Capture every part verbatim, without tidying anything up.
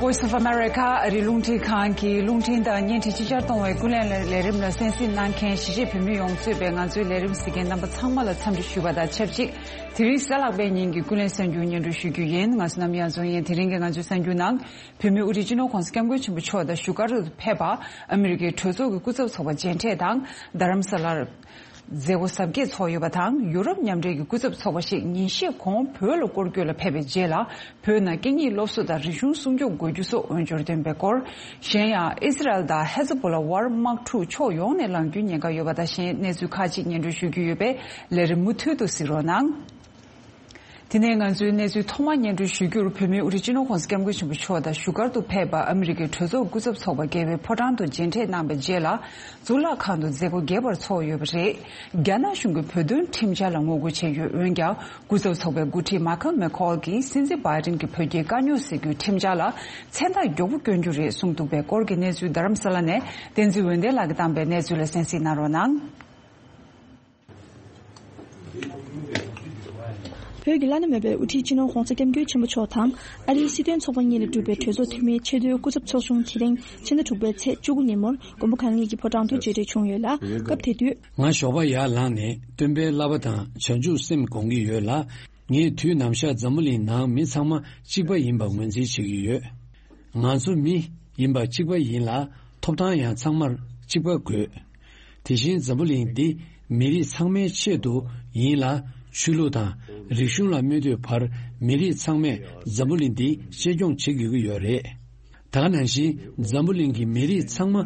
Voice of America ཨ་རིའི་རླུང་འཕྲིན་ཁང་གི་རླུང་འཕྲིན་དང་བརྙན་འཕྲིན་ཕྱི་གསལ་གཏོང་བའི་ཀུན་གླེང་ལས་རིམ་ལ་གསན་གཟིགས་གནང་མཁན་གཞིས་བྱེས་བོད་མི་ཡོངས་གཙོས་པའི་ང་ཚོའི་ལས་རིམ་གཟིགས་མཁན་རྣམ་པ་ཚང་མ་ལ་འཚམས་འདྲི་ཞུ་བ་དང་ཆབས་ཅིག་དེ་རིང་གཟའ་ལྷག་པའི་ཉིན་གྱི་ཀུན་གླེང་གསར་འགྱུར་སྙན་སྒྲོན་ཞུ་རྒྱུ་ཡིན། ང་ཚོ་ནམ་ཡང་རྫོང་ཡན། དེ་རིང་གི་ང་ཚོའི་གསར་འགྱུར་ནང་། བོད་མིའི་དབུ་ཁྲིད་སྤྱི་ནོར་༧གོང་ས་༧སྐྱབས་མགོན་ཆེན་པོ་མཆོག་དང་བཞུགས་སྒར་དུ་ཕེབས་པ་ཨ་མི་རི་ཀའི་གྲོས་ཚོགས་ཀྱི་སྐུ་ཚབ་ཚོགས་པ་མཇལ་འཕྲད་དང་། རྡ་རམ་ས་ལར་མཛད་སྒོ་གཟབ་རྒྱས་ཚོགས་ཡོད་པ་དང་། ཡུ་རོབ་མཉམ་འབྲེལ་གྱི་སྐུ་ཚབ་ཚོགས་པ་ཞིག་ཉིན་ཤས་གོང་བོད་ལ་སྐོར་སྐྱོད་ལ་ཕེབས་པའི་རྗེས་ལ། བོད་ནང་སྐད་གཉིས་སློབ་གསོ་དང་རིག་གཞུང་སྲུང་སྐྱོབ་དགོས་རྒྱུ་སོགས་འོས་སྦྱོར་བཏོན་པའི་སྐོར། གཞན་ཡང་ཨི་སི་རལ་དང་ཧེ་ཛ་བྷོ་ལ་དབར་དམག་འཁྲུག་ཕྱོགས་ཡོངས་ནས་ལངས་རྒྱུའི་ཉེན་ཁ་ཡོད་པ་དང་གཞན་གནས་ཚུལ་ཁག་ཅིག་སྙན་སྒྲོན་ཞུ་རྒྱུ་ཡོད་པས་ལས་རིམ་མུ་མཐུད་དུ་གཟིགས་རོགས་གནང་། དེ་ནས་ང་ཚོའི་གནས་ཚུལ་ཐོག་མར་སྙན་སྒྲོན་ཞུ་རྒྱུར། བོད་མིའི་དབུ་ཁྲིད་སྤྱི་ནོར་༧གོང་ས་༧སྐྱབས་མགོན་ཆེན་པོ་མཆོག་དང་བཞུགས་སྒར་དུ་ཕེབས་པ་ཨ་མི་རི་ཀའི་གྲོས་ཚོགས་སྐུ་ཚབ་ཚོགས་པ་རྒྱལ་བའི་ཕོ་བྲང་དུ་མཇལ་འཕྲད་གནང་བའི་རྗེས་ལ། གཙུག་ལག་ཁང་དུ་མཛད་སྒོ་རྒྱས་པར་ཚོགས་ཡོད་པ་རེད། རྒྱ་ནག་གཞུང་གིས་བོད་དོན་ཁྲིམས་འཆར་ལ་ངོ་རྒོལ་བྱས་ཡོད། འོན་ཀྱང་། སྐུ་ཚབ་ཚོགས་པའི་འགོ་ཁྲིད་མཱ་ཁལ་མེ་ཁོལ་གྱིས་སྲིད་འཛིན་བྷའི་ཌེན་གྱི་བོད་རྒྱའི་དཀའ་རྙོག་སེལ་རྒྱུའི་ཁྲིམས་འཆར་ལ་མཚན་རྟགས་མགྱོགས་པོ་བསྐྱོན་རྒྱུ་རེད་གསུངས་འདུག་པའི་སྐོར་གྱི་གནས་ཚུལ་རྡ་རམ་ས་ལ་ནས་བསྟན་འཛིན་འོད་ལྡན་ལགས་ཀྱིས་བཏང་པའི་གནས་ཚུལ་ལ་གསན་གཟིགས་གནང་རོགས་གནང་། བོད་ཀྱི་བླ་ན་མེད་པའི་དབུ་ཁྲིད་སྤྱི་ནོར་༧གོང་ས་༧སྐྱབས་མགོན་ཆེན་པོ་མཆོག་དང་ཨ་རིའི་སྲིད་དོན་ཚོགས་པ་གཉིས་ལས་གྲུབ་པའི་གྲོས་ཚོགས་འཐུས་མིའི་ཆེས་མཐོའི་སྐུ་ཚབ་ཚོགས་ཆུང་དེ་རིང་ཕྱི་ཟླ་དྲུག་པའི་ཚེས་བཅུ་དགུ་ཉིན་མོར་མགོན་པོ་གང་ཉིད་ཀྱི་ཕོ་བྲང་དུ་མཇལ་འཕྲད་བྱུང་ཡོད་ལ། སྐབས་དེ་དུས། ང་ཞོགས་པ་ཡར་ལངས་ནས་སྟོན་པའི་བསླབ་པ་དང་བྱང་ཆུབ་སེམས་སྒོམ་གྱི་ཡོད་ལ། ངས་དུས་ནམ་ཞག་འཛམ་བུ་གླིང་ནང་མི་ཚང་མ་གཅིག་པ་ཡིན་པ་ངོས་འཛིན་བྱེད་ཀྱི་ཡོད། ང་ཚོ་མི་ཡིན་པ་གཅིག་པ་ཡིན་ལ། ཐོབ་ཐང་ཡང་ཚང་མར་གཅིག་པ་དགོས། དེ་བཞིན་འཛམ་བུ་གླིང་འདི་མི་རིགས་ཚང་མའི་ཆེད་དུ་ཡིན་ལ། ཆོས་ལུགས་དང་རིག་གཞུང་ལ་མི་ལྟོས་པར་མི་རིགས་ཚང་མས་འཛམ་བུ་གླིང་འདི་གཅེས་སྐྱོང་བྱེད་དགོས་ཀྱི་ཡོད་རེད། ད་ག་ནང་བཞིན་འཛམ་བུ་གླིང་གི་མི་རིགས་ཚང་མ་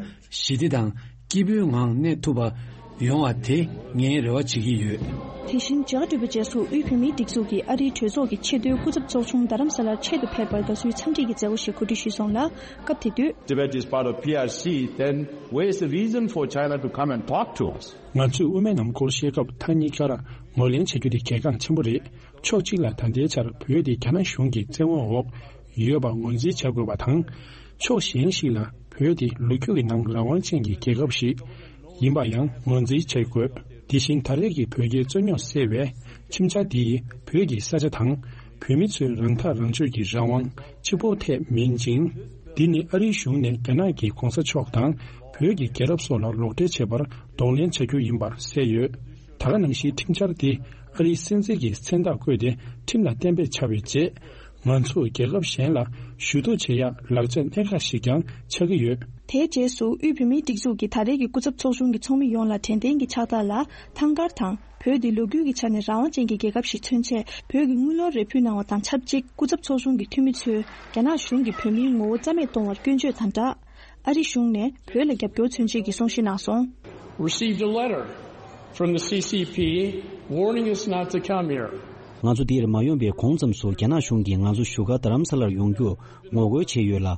ཞི་བདེ་དང་སྐྱིད་པོའི་ངང་གནས་ཐུབ་པ་ཡོང་བ་དེ་ངས་རེ་བ་བྱེད་ཀྱི་ཡོད། དེ་བཞིན་མཇལ་ཁ་གྲུབ་པའི་རྗེས་སུ་དབུས་བོད་མིའི་སྒྲིག་འཛུགས་ཀྱི་ཨ་རིའི་གྲོས་ཚོགས་ཀྱི་ཆེས་མཐོའི་སྐུ་ཚབ་ཚོགས་ཆུང་རྡ་རམ་ས་ལར་ཆེད་དུ་ཕེབས་པར་དགའ་བསུའི་འཚམས་འདྲི་གི་མཛད་སྒོ་ཞིག་གོ་སྒྲིག་ཞུས་སོང་ལ། སྐབས་དེ་དུས། Tibet is part of P R C, then where is the reason for China to come and talk to us? ང་ཚོས་དབུ་མའི་ལམ་སྐོར་བཤད་སྐབས་མཐའ་གཉིས་ཀར་ངོས་ལེན་བྱ་རྒྱུ་དེ་གལ་འགངས་ཆེན་པོ་རེད། ཕྱོགས་གཅིག་ལ་ད་ལྟའི་ཆར་བོད་དེ་རྒྱ་ནག་གཞུང་གི་བཙན་དབང་འོག་ཡོད་པ་ངོས་འཛིན་བྱ་དགོས་པ་དང་། ཕྱོགས་གཞན་ཞིག་ལ་བོད་དེ་ལོ་རྒྱུས་ཀྱི་ནང་རང་དབང་ཅན་གྱི་རྒྱལ་ཁབ་ཞིག་ཡིན་པ་ཡང་ངོས་འཛིན་བྱེད་དགོས། དེ་བཞིན་ད་རེས་ཀྱི་བོད་རྒྱའི་རྩོད་རྙོག་སེལ་བའི་ཁྲིམས་འཆར་འདིས་བོད་ཀྱི་ས་ཆ་དང་བོད་མི་ཚོའི་རང་ཐག་རང་གཅོད་ཀྱི་རང་དབང་གཅིག་པོ་ཐད་མིན་ཅིང་། འདི་ནི་ཨ་རིའི་གཞུང་ནས་རྒྱ་ནག་གི་གོང་ས་མཆོག་དང་བོད་ཀྱི་རྒྱལ་རབས་སོགས་ལ་ལོག་འགྲེལ་བྱེད་པར་གདོང་ལེན་བྱ་རྒྱུ་ཡིན་པར་གསལ་ཡོད། ད་ག་ནང་བཞིན་ཁྲིམས་འཆར་འདི་ཨ་རིའི་སྲིད་འཛིན་གྱིས་མཚན་རྟགས་བཀོད་དེ་ཁྲིམས་ལ་གཏན་འབེབས་བྱ་བའི་རྗེས། ང་ཚོ་རྒྱལ་ཁབ་གཞན་ལ་ཞུ་གཏུག་བྱེད་ཡག་ལག་ཆ་གནད་འགག་ཞིག་ཀྱང་ཆགས་ཀྱི་ཡོད། དེའི་རྗེས་སུ་དབུས་བོད་མིའི་སྒྲིག་འཛུགས་ཀྱི་ད་རེས་ཀྱི་སྐུ་ཚབ་ཚོགས་ཆུང་གི་ཚོགས་མི་ཡོངས་ལ་དྲན་རྟེན་གྱི་ཕྱག་རྟགས་ལ་ཐང་དཀར་དང་། བོད་འདི་ལོ་རྒྱུས་ཀྱི་ཆ་ནས་རང་དབང་ཅན་གྱི་རྒྱལ་ཁབ་ཞིག་མཚོན་ཆེད་བོད་ཀྱི་དངུལ་ལོར་རེ་ཕུལ་གནང་བ་དང་ཆབས་ཅིག་སྐུ་ཚབ་ཚོགས་ཆུང་གི་འཐུས་མི་ཚོས་རྒྱ་ནག་གཞུང་གིས་བོད་མིའི་ངོ་བོ་རྩ་མེད་གཏོང་བར་སྐྱོན་བརྗོད་དང་སྦྲགས། ཨ་རི་གཞུང་ནས་བོད་ལ་རྒྱབ་སྐྱོར་མཚོན་ཆེད་ཀྱི་གསུང་བཤད་གནང་སོང་། Received a letter from the C C P warning us not to come here. ང་ཚོ་འདིར་མ་ཡོང་བའི་གོང་ཙམ་དུ་རྒྱ་ནག་གཞུང་གིས་ང་ཚོ་བཞུགས་སྒར་རྡ་རམ་ས་ལར་ཡོང་རྒྱུར་ངོ་རྒོལ་བྱས་ཡོད་ལ།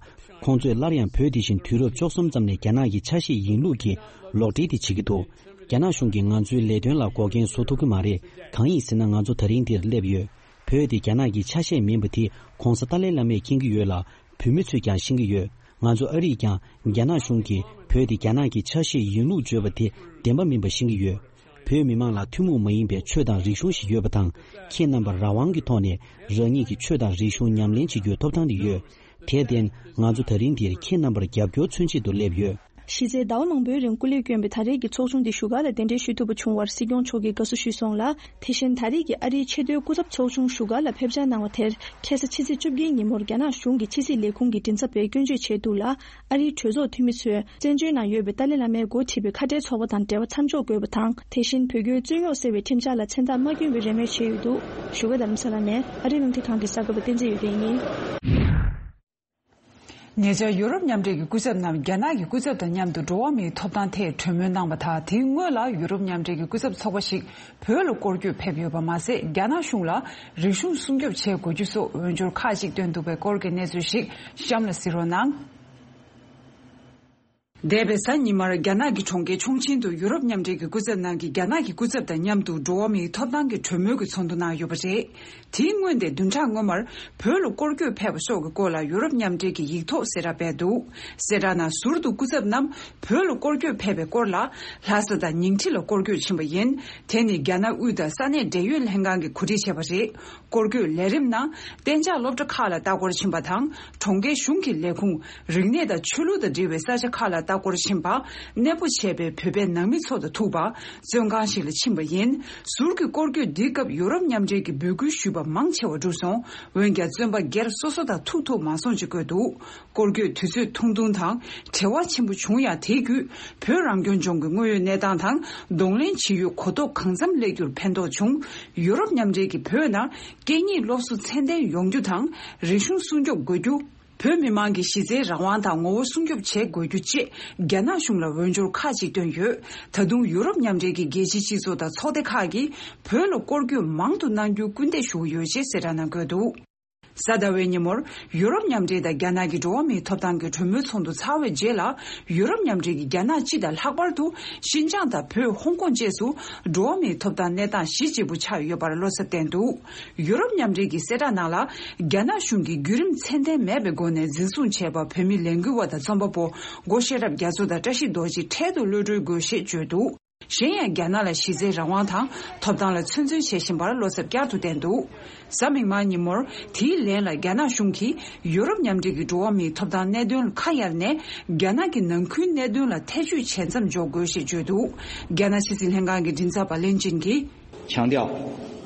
ཁོང་ཚོས་སླར་ཡང་བོད་དེ་བཞིན་དུས་རབས་བཅུ་གསུམ་ཙམ་ནས་རྒྱ་ནག་གི་ཆ་ཤས་ཡིན་ལུགས་ཀྱི་ལོག་འགྲེལ་དེ་བྱེད་ཀྱི་འདུག་རྒྱ་ནག་གཞུང་གིས་ང་ཚོའི་ལས་དོན་ལ་འགོག་རྐྱེན་བཟོ་ཐུབ་ཀྱི་མ་རེད། གང་ཡིན་ཟེར་ན་ང་ཚོ་ད་རིང་འདིར་སླེབས་ཡོད། བོད་དེ་རྒྱ་ནག་གི་ཆ་ཤས་མིན་པ་དེ་གོང་ས་ཏཱ་ལའི་བླ་མས་མཁྱེན་གྱི་ཡོད་ལ། བོད་མི་ཚོས་ཀྱང་ཤེས་ཀྱི་ཡོད། ང་ཚོ་ཨ་རིས་ཀྱང་རྒྱ་ནག་གཞུང་གིས་བོད་དེ་རྒྱ་ནག་གི་ཆ་ཤས་ཡིན་ལུགས་བརྗོད་པ་དེ་བདེན་པ་མིན་པ་ཤེས་ཀྱི་ཡོད། བོད་མི་མང་ལ་ཐུན་མོང་མ་ཡིན་པའི་ཆོས་དང་རིག་གཞུང་ཞིག་ཡོད་པ་དང་། ཁྱེད་རྣམ་པར་རང་དབང་གི་ཐོག་ནས་རང་ཉིད་ཀྱི་ཆོས་དང་རིག་གཞུང་ཉམས་ལེན་བྱེད་རྒྱུའི་ཐོབ་ཐང་དེ་ཡོད། དེར་བརྟེན། ང་ཚོ་ད་རིང་འདིར་ཁྱེད་རྣམ་པར་རྒྱབ་སྐྱོར་མཚོན་ཆེད་དུ་སླེབས་ཡོད། གཞི་རྩའི་ཟླ་བ་མང་པོའི་རིང་སྐུ་ལས་བསྐྱོན་པའི་ད་རེས་ཀྱི་ཚོགས་ཆུང་འདི་བཞུགས་སྒར་ལ་གདན་འདྲེན་ཞུ་ཐུབ་པ་བྱུང་བར་སྲིད་སྐྱོང་མཆོག་གིས་དགའ་བསུ་ཞུས་སོང་ལ། དེ་བཞིན་ད་རེས་ཀྱི་ཨ་རིའི་ཆེས་མཐོའི་སྐུ་ཚབ་ཚོགས་ཆུང་བཞུགས་སྒར་ལ་ཕེབས་འཆར་གནང་བ་དེར་ཁ་སང་ཕྱི་ཚེས་བཅོ་བརྒྱད་ཉིན་མོར་རྒྱ་ནག་གཞུང་གི་ཕྱི་སྲིད་ལས་ཁུངས་ཀྱི་མགྲིན་ཚབ་པས་སྐྱོན་བརྗོད་བྱས་འདུག་ལ། ཨ་རིའི་གྲོས་ཚོགས་འཐུས་མི་ཚོས་བཙན་བྱོལ་ནང་ཡོད་པའི་ཏཱ་ལའི་བླ་མས་འགོ་ཁྲིད་པའི་ཁ་བྲལ་ཚོགས་པ་དང་འབྲེལ་བ་མཚམས་འཇོག་དགོས་པ་དང་། དེ་བཞིན་བོད་རྒྱའི་རྩོད་རྙོག་སེལ་བའི་ཁྲིམས་འཆར་ལ་མཚན་རྟགས་མ་བསྐྱོན་པའི་རེ་སྨོན་བྱས་ཡོད་འདུག་བཞུགས་སྒར་རྡ་རམ་ས་ལ་ནས་ཨ་རིའི་རླུང་འཕྲིན་ཁང་གི་གསར་འགོད་པ་བསྟན་འཛིན་ཡོད་ལྡན་ཡིན། ཉེ་ཆར་ཡུ་རོབ་མཉམ་འབྲེལ་གྱི་སྐུ་ཚབ་རྣམས་རྒྱ་ནག་གི་སྐུ་ཚབ་དང་མཉམ་དུ་འགྲོ་བ་མིའི་ཐོབ་ཐང་ཐད་གྲོས་མོལ་གནང་བ་དང་། དེའི་སྔོན་ལ་ཡུ་རོབ་མཉམ་འབྲེལ་གྱི་སྐུ་ཚབ་ཚོགས་པ་ཞིག་བོད་ལ་སྐོར་སྐྱོད་ཕེབས་ཡོད་པ་མ་ཟད། རྒྱ་ནག་གཞུང་ལ་རིག་གཞུང་སྲུང་སྐྱོབ་བྱེད་དགོས་རྒྱུ་སོགས་འོས་སྦྱོར་ཁག་ཅིག་བཏོན་འདུག་པའི་སྐོར་གྱི་གནས་ཚུལ་ཞིག་གཤམ་ལ་གཟིགས་རོགས་གནང་། འདས་པའི་གཟའ་ཉི་མར་རྒྱ་ནག་གི་གྲོང་ཁྱེར་ཆུང་ཆེན་དུ་ཡུ་རོབ་མཉམ་འབྲེལ་གྱི་སྐུ་ཚབ་རྣམས་ཀྱིས་རྒྱ་ནག་གི་སྐུ་ཚབ་དང་མཉམ་དུ་འགྲོ་བ་མིའི་ཐོབ་ཐང་གི་གྲོས་མོལ་གྱི་ཚོགས་འདུ་གནང་ཡོད་པ་རེད། དེའི་སྔོན་ཏེ་བདུན་ཕྲག་སྔོན་མར་བོད་ལ་སྐོར་སྐྱོད་ཕེབས་པ་སོགས་ཀྱི་སྐོར་ལ་ཡུ་རོབ་མཉམ་འབྲེལ་གྱིས་ཡིག་ཐོག་གསལ་བསྒྲགས་སྤེལ་འདུག་གསལ་བསྒྲགས་ནང་ཟུར་དུ་སྐུ་ཚབ་རྣམས་བོད་ལ་སྐོར་སྐྱོད་ཕེབས་པའི་སྐོར་ལ་ལྷ་ས་དང་ཉིང་ཁྲི་ལ་སྐོར་སྐྱོད་ཕྱིན་པ་ཡིན། དེ་ནི་རྒྱ་ནག་དབུས་དང་ས་གནས་འབྲེལ་ཡོད་ལྷན་ཁང་གིས་གོ་སྒྲིག་བྱས་པ་རེད། སྐོར་སྐྱོད་ལས་རིམ་ནང་གཏན་འཇགས་སློབ་གྲྭ་ཁག་ལ་ལྟ་སྐོར་ཕྱིན་པ་དང་། གྲོང་ཁྱེར་གཞུང་གི་ལས་ཁུངས། རིག་གནས་དང་ཆོས་ལུགས་དང་འབྲེལ་བའི་ས་ཆ་ཁག་ལ་ལྟ་སྐོར་ཕྱིན་པ། གནས་སྤོ་བྱས་པའི་བོད་པའི་ནང་མི་ཚོ་དང་ཐུག་པ། བཙོན་ཁང་ཞིག་ལ་ཕྱིན་པ་ཡིན། ཟུར་གྱི་སྐོར་སྐྱོད་འདིའི་སྐབས་ཡུ་རོབ་མཉམ་འབྲེལ་གྱི་འབོད་སྐུལ་ཞུས་པ་མང་ཆེ་བ་འགྲུབ་སོང་། འོན་ཀྱང་བཙོན་པ་སྒེར་སོ་སོ་དང་ཐུག་ཐུབ་མ་སོང་ཅེས་བཀོད་འདུག་སྐོར་སྐྱོད་དུས་ཚོད་ཐུང་ཐུང་དང་བྲེལ་བ་ཆེན་པོ་བྱུང་ཡང་། དེའི་བརྒྱུད་བོད་རང་སྐྱོང་ལྗོངས་ཀྱི་དངོས་ཡོད་གནས་སྟངས་དང་གདོང་ལེན་བྱེད་ཡུལ་གོ་རྟོགས་གང་འཚམ་སླེབས་རྒྱུར་ཕན་ཐོགས་བྱུང་། ཡུ་རོབ་མཉམ་འབྲེལ་གྱིས་བོད་ནང་སྐད་གཉིས་སློབ་གསོ་ཚད་ལྡན་ཡོང་རྒྱུ་དང་། རིག་གཞུང་སྲུང་སྐྱོབ་དགོས་རྒྱུ། བོད་མི་མང་གི་གཞི་རྩའི་རང་དབང་དང་ངོ་བོ་སྲུང་སྐྱོབ་བྱེད་དགོས་རྒྱུ་བཅས་རྒྱ་ནག་གཞུང་ལ་འོས་སྦྱོར་ཁག་ཅིག་བཏོན་ཡོད། ད་དུང་ཡུ་རོབ་མཉམ་འབྲེལ་གྱི་རྒྱལ་སྤྱིའི་སྤྱི་ཚོགས་དང་ཚོགས་སྡེ་ཁག་གིས་བོད་ལ་སྐོར་སྐྱོད་མང་དུ་གནང་རྒྱུར་སྐུལ་འདེད་ཞུ་གི་ཡོད་ཅེས་གསལ་བསྒྲགས་ནང་བཀོད་འདུག་གཟའ་ཟླ་བའི་ཉིན་མོར་ཡུ་རོབ་མཉམ་འབྲེལ་དང་རྒྱ་ནག་གི་འགྲོ་བ་མིའི་ཐོབ་ཐང་གི་གྲོས་མོལ་ཚོགས་འདུ་ཚར་བའི་རྗེས་ལ། ཡུ་རོབ་མཉམ་འབྲེལ་གྱིས་རྒྱ་ནག་སྤྱི་དང་ལྷག་པར་དུ་ཤིན་ཅང་དང་བོད། ཧོང་ཀོང་བཅས་སུ་འགྲོ་བ་མིའི་ཐོབ་ཐང་གནས་སྟངས་གཞི་གཅིག་པུ་ཆགས་ཡོད་པར་བློ་འཚབ་བསྟན་འདུག་ཡུ་རོབ་མཉམ་འབྲེལ་གྱི་གསལ་བསྒྲགས་ནང་ལ། རྒྱ་ནག་གཞུང་གིས་བརྒྱུད་རིམ་ཚད་ལྡན་མེད་པའི་སྒོ་ནས་འཛིན་བཟུང་བྱས་པ་བོད་མི་ལས་འགུལ་བ་དང་རྩོམ་པ་པོ་སྒོ་ཤེས་རབ་རྒྱ་མཚོ་དང་བཀྲ་ཤིས་རྡོ་རྗེ་འཕྲལ་དུ་གློད་གྲོལ་དགོས་ཞེས་བརྗོད་འདུག་གཞན་ཡང་རྒྱ་ནག་ལ་གཞི་རྩའི་རང་དབང་དང་ཐོབ་ཐང་ལ་ཚོད་འཛིན་བྱེད་བཞིན་པར་བློ་འཚབ་བསྐྱར་དུ་བསྟན་འདུག་གཟའ་མིག་དམར་ཉིན་མོར་དེའི་ལན་ལ་རྒྱ་ནག་གཞུང་གིས་ཡུ་རོབ་མཉམ་འབྲེལ་གྱི་འགྲོ་བ་མིའི་ཐོབ་ཐང་གནད་དོན་ལ་ཁ་གཡར་ནས། རྒྱ་ནག་གི་ནང་ཁུལ་གནད་དོན་ལ་ཐེ་བྱུས་བྱེད་མཚམས་འཇོག་དགོས་ཞེས་བརྗོད་འདུག་རྒྱ་ནག་ཕྱི་སྲིད་ལྷན་ཁང་གི་མགྲིན་ཚབ་པ་ལན་ཅིན་གྱིས། 强调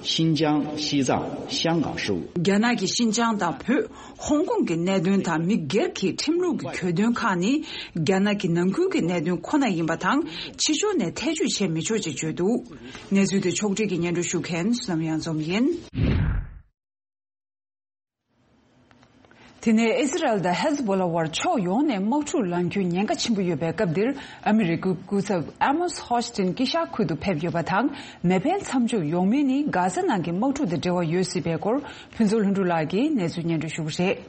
新疆、西藏、香港事务། རྒྱ་ནག་གིས་ཤིན་ཅང་དང་བོད། ཧོང་ཀོང་གི་གནད་དོན་དང་མི་སྒེར་གྱི་ཁྲིམས་ལུགས་ཀྱི་གྱོད་དོན་ཁག་ནི། རྒྱ་ནག་གི་ནང་ཁུལ་གྱི་གནད་དོན་ཁོ་ན་ཡིན་པ་དང་། ཕྱི་ཕྱོགས་ནས་ཐེ་བྱུས་བྱེད་མི་ཆོག་ཅེས་བརྗོད་འདུག་གནས་ཚུལ་དེ་ཕྱོགས་སྒྲིག་གིས་སྙན་སྒྲོན་ཞུ་མཁན་བསོད་ནམས་གཡང་འཛོམས་ཡིན། དེ་ནས་ཨི་ཟི་རལ་དང་ཧེ་ཛི་བྷོ་ལ་དབར་ཕྱོགས་ཡོངས་ནས་དམག་འཁྲུག་ལངས་རྒྱུའི་ཉེན་ཁ་ཆེན་པོ་ཡོད་པའི་སྐབས་འདིར། ཨ་མི་རི་ཀའི་སྐུ་ཚབ་ཨ་མོས་ཧོ་ཆི་ཏིན་དཀྱིལ་ཤར་ཁུལ་དུ་ཕེབས་ཡོད་པ་དང་། མེ་འཕེན་མཚམས་འཇོག་ཡོང་མིན་ནི་གྷ་ཟ་ནང་གི་དམག་འཁྲུག་དང་འབྲེལ་བ་ཡོད་སྲིད་པའི་སྐོར། ཕུན་ཚོགས་ལྷུན་གྲུབ་ལགས་ཀྱིས་གནས་ཚུལ་སྙན་སྒྲོན་ཞུ་གི་རེད།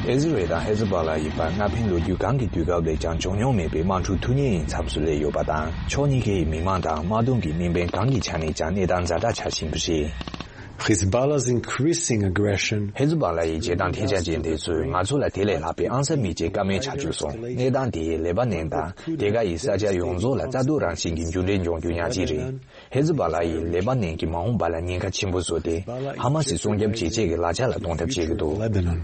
ཨི་ཟི་རལ་དང་ཧེ་ཛི་བྷ་ལ་ཡི་བར་མནའ་འཕེན་ལོ་རྒྱུས་གང་གི་དུས་སྐབས་ལས་ཀྱང་བྱུང་མྱོང་མེད་པའི་དམག་འཁྲུག་ཐུག་ཉེན་ཡི་མཚམས་སུ་སླེབས་ཡོད་པ་དང་། ཕྱོགས་གཉིས་ཀའི་མི་མང་དང་དམག་དོན་གྱི་དམིགས་འབེན་གང་གི་ཆ་ནས་ཀྱང་གནས་སྟངས་ཛ་དྲག་ཆགས་བཞིན་པ་རེད། Hezbollah's increasing aggression. ཧེ་ཛི་བྷ་ལ་ཡི་བྱེད་སྟངས་ཐེངས་ཆ་ཅན་དེ་ཚོས་ང་ཚོ་ལ་དེ་ལས་ལྷག་པའི་ཨང་གསར་མི་སྐྱེ་ཀ་མེད་ཆགས་བཅུག་སོང་། གནས་སྟངས་དེས་ལེ་པ་ནན་དང་དེ་ག་ཡི་ས་ཆ་ཡོངས་རྫོགས་ལ་རྩ་གཏོར་རང་བཞིན་གྱི་འགྱུར་འགྲོས་འབྱུང་རྒྱུ་ཉག་གཅིག་རེད། ཧེ་ཛི་བྷ་ལ་ཡིས་ལེ་པ་ནན་གྱི་མ་འོངས་པ་ལ་ཉེན་ཁ་ཆེན་པོ་བཟོས་ཏེ། ཧ་མ་སི་སྲུང་སྐྱོབ་བྱེད་ཆེད་ཀྱི་ལག་ཆ་ལ་གཏོང་ཐབས་བྱེད་ཀྱི་འདུག Lebanon,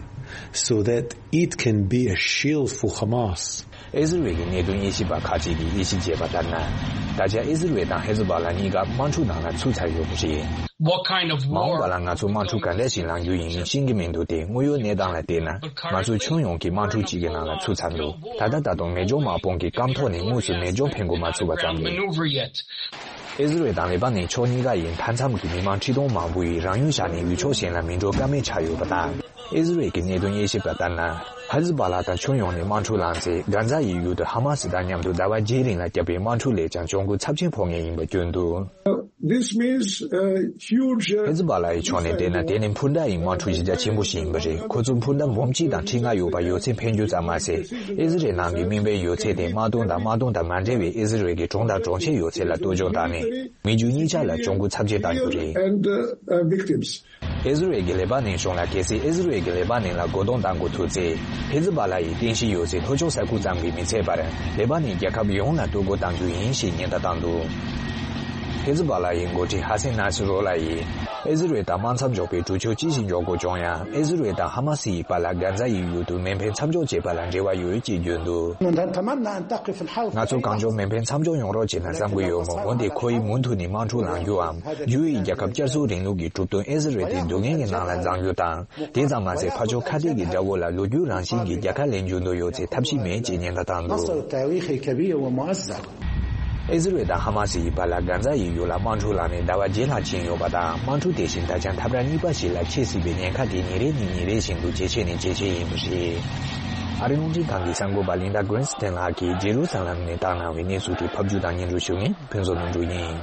so that it can be a shield for Hamas. ཨི་ཟི་རལ་གྱི་གནད་དོན་དབྱེ་ཞིབ་པ་ཁག་ཅིག་གིས་དབྱེ་ཞིབ་བྱས་པ་ལྟར་ན། ད་ཆ་ཨི་ཟི་རལ་དང་ཧེ་ཛི་བྷ་ལ་གཉིས་ཀ་དམག་འཁྲུག་ནང་ལ་ཚུད་ཚར་ཡོད་པ་རེད། What kind of war? མ་འོངས་པ་ལ་ང་ཚོ་དམག་འཁྲུག་ག་འདྲ་ཞིག་ལངས་རྒྱུ་ཡིན་མིན་ཤེས་ཀྱི་མི་འདུག་སྟེ། དངོས་ཡོད་གནས་སྟངས་ལ་བལྟས་ན། ང་ཚོ་ཁྱོན་ཡོངས་ཀྱི་དམག་འཁྲུག་ཅིག་གི་ནང་ལ་ཚུད་ཚར་འདུག་ད་ལྟ་ད་དུང་མེ་སྒྱོགས་དམག་དཔུང་གི་སྐམ་ཐོག་ནས་དངོས་སུ་མེ་སྒྱོགས་འཕེན་དགོས་མ་ཚུགས་པ་ཙམ་རེད། Maneuver yet. ཨི་ཟི་རལ་དང་ལེ་པ་ནན་ཕྱོགས་གཉིས་ཀ་ཡི་མཐའ་མཚམས་ཀྱི་མི་མང་ཁྲི་སྟོང་མང་པོ་ཡིས་རང་ཡུལ་བཞག་ནས་ཡུལ་ཕྱོགས་གཞན་ལ་མི་འགྲོ་ཀ་མེད་ཆགས་ཡོད་པ་དང་། ཨི་ཟི་རལ་གྱི་གནད་དོན་དབྱེ་ཞིབ་པ་ལྟར་ན། ཧེ་ཛི་བྷ་ལ་དང་ཁྱོན་ཡོངས་ནས་དམག་འཁྲུག་ལངས་ཚེ། གྷ་ཛ་ཡི་ཡུལ་དུ་ཧ་མ་སི་དང་མཉམ་དུ་ཟླ་བ་བརྒྱད་རིང་ལ་བརྒྱབ་པའི་དམག་འཁྲུག་ལས་ཀྱང་གྱོང་གུན་ཚབས་ཆེན་ཕོག་ངེས་ཡིན་པ་བསྐྱོན་འདུག This means, uh, huge, uh, ཧེ་ཛི་བྷ་ལ་ཡི་ཕྱོགས་ནས་བལྟས་ན། དེ་ནི་འཕུར་མདའ་ཡི་དམག་འཁྲུག་གཞི་རྒྱ་ཆེན་པོ་ཞིག་ཡིན་པ་རེད། ཁོ་ཚོས་འཕུར་མདའ་འབུམ་གཅིག་དང་ཁྲི་ལྔ་ཡོད་པ་ཡོད་ཚད་འཕེན་རྒྱུ་ཙམ་མ་ཟད། ཨི་ཟི་རལ་ནང་གི་དམིགས་འབེན་ཡོད་ཚད་དེ་དམག་དོན་དང་དམག་དོན་དང་མ་འབྲེལ་བའི་ཨི་ཟི་རལ་གྱི་གྲོང་དང་གྲོང་ཁྱེར་ཡོད་ཚད་ལ་གཏོར་སྐྱོན་བཏང་ནས། མི་རྒྱུ་གཉིས་ཆ་ལ་གྱོང་གུན་ཚབས་ཆེ་བཏང་རྒྱུ་རེད། And, uh, uh, victims. ཨི་ཟི་རལ་གྱིས་ལེ་པ་ནན་གཞུང་ལ། གལ་སྲིད་ཨི་ཟི་རལ་གྱིས་ལེ་པ་ནན་ལ་རྒོལ་རྡུང་བཏང་དགོས་ཐུག་ཚེ། ཧེ་ཛི་བྷ་ལ་ཡི་རྟེན་གཞི་ཡོད་སའི་ལྷོ་ཕྱོགས་ས་ཁུལ་ཙམ་གྱིས་མི་ཚད་པར། ལེ་པ་ནན་རྒྱལ་ཁབ་ཡོངས་ལ་གཏོར་རྒོལ་བཏང་རྒྱུ་ཡིན་ཞེས་ཉེན་བརྡ་བཏང་འདུག་ཧེ་ཛི་བྷ་ལ་ཡི་འགོ་ཁྲིད་ཧ་སན་ནཱ་སི་རོ་ལ་ཡིས། ཨི་ཟི་རལ་དང་དམག་མཚམས་འཇོག་པའི་གྲོས་ཆོད་ཅི་ཞིག་འཇོག་དགོས་བྱུང་ཡང་། ཨི་ཟི་རལ་དང་ཧ་མ་སི་ཡི་བར་ལ་གྷ་ཛ་ཡི་ཡུལ་དུ་མེ་འཕེན་མཚམས་འཇོག་བྱེད་པ་ལ་འབྲེལ་བ་ཡོད་ཅེས་བརྗོད་འདུག་ང་ཚོ་གང་མགྱོགས་མེ་འཕེན་མཚམས་འཇོག་ཡོང་རོགས་བྱེད་ན་བསམ་གྱི་ཡོད་མོད། འོན་ཏེ་ཁོ་ཡིས་མུ་མཐུད་ནས་དམག་འཁྲུག་ལངས་རྒྱུའམ། ཡུ་ཨེ་ཨི་རྒྱལ་ཁབ་བསྐྱར་གསོ་རིང་ལུགས་ཀྱི་གྲུབ་དོན་ཨི་ཟི་རལ་དེ་སྡུག་བསྔལ་གྱི་ནང་ལ་བརྫང་རྒྱུ་དང་། དེ་ཙམ་མ་ཟད། ཕར་ཕྱོགས་ཁ་གཏད་ཀྱི་དགྲ་བོ་ལ་ལོ་རྒྱུས་རང་བཞིན་གྱི་རྒྱལ་ཁ་ལེན་རྒྱུ་འདོད་ཡོད་ཚེ་ཐབས་ཤེས་མེད་ཅེས་ཉེན་བརྡ་བཏང་འདུག نصر تاريخي كبير ومؤزر. ཨི་ཟི་རལ་དང་ཧ་མ་སི་ཡི་བར་ལ་གྷ་ཛ་ཡི་ཡུལ་ལ་དམག་འཁྲུག་ལངས་ནས་ཟླ་བ་བརྒྱད་ལྷག་ཕྱིན་ཡོད་པ་དང་། དམག་འཁྲུག་དེ་བཞིན་ད་ཆ་འཐབ་ར་གཉིས་པ་ཞིག་ལ་ཆེ་སྲིད་པའི་ཉེན་ཁ་དེ་ཉིན་རེ་ནས་ཉིན་རེ་བཞིན་དུ་ཇེ་ཆེ་ནས་ཇེ་ཆེ་ཡིན་པ་རེད། ཨ་རིའི་རླུང་འཕྲིན་ཁང་གི་གསར་འགོད་པ་ལིན་ཌ་གྷི་རིན་སི་ཏན་ལགས་ཀྱིས་ཇེ་རུ་ས་ལམ་ནས་བཏང་གནང་བའི་གནས་ཚུལ་དེ་ཕབ་སྒྱུར་དང་སྙན་སྒྲོན་ཞུ་མཁན་ཕུན་ཚོགས་དོན་གྲུབ་ཡིན།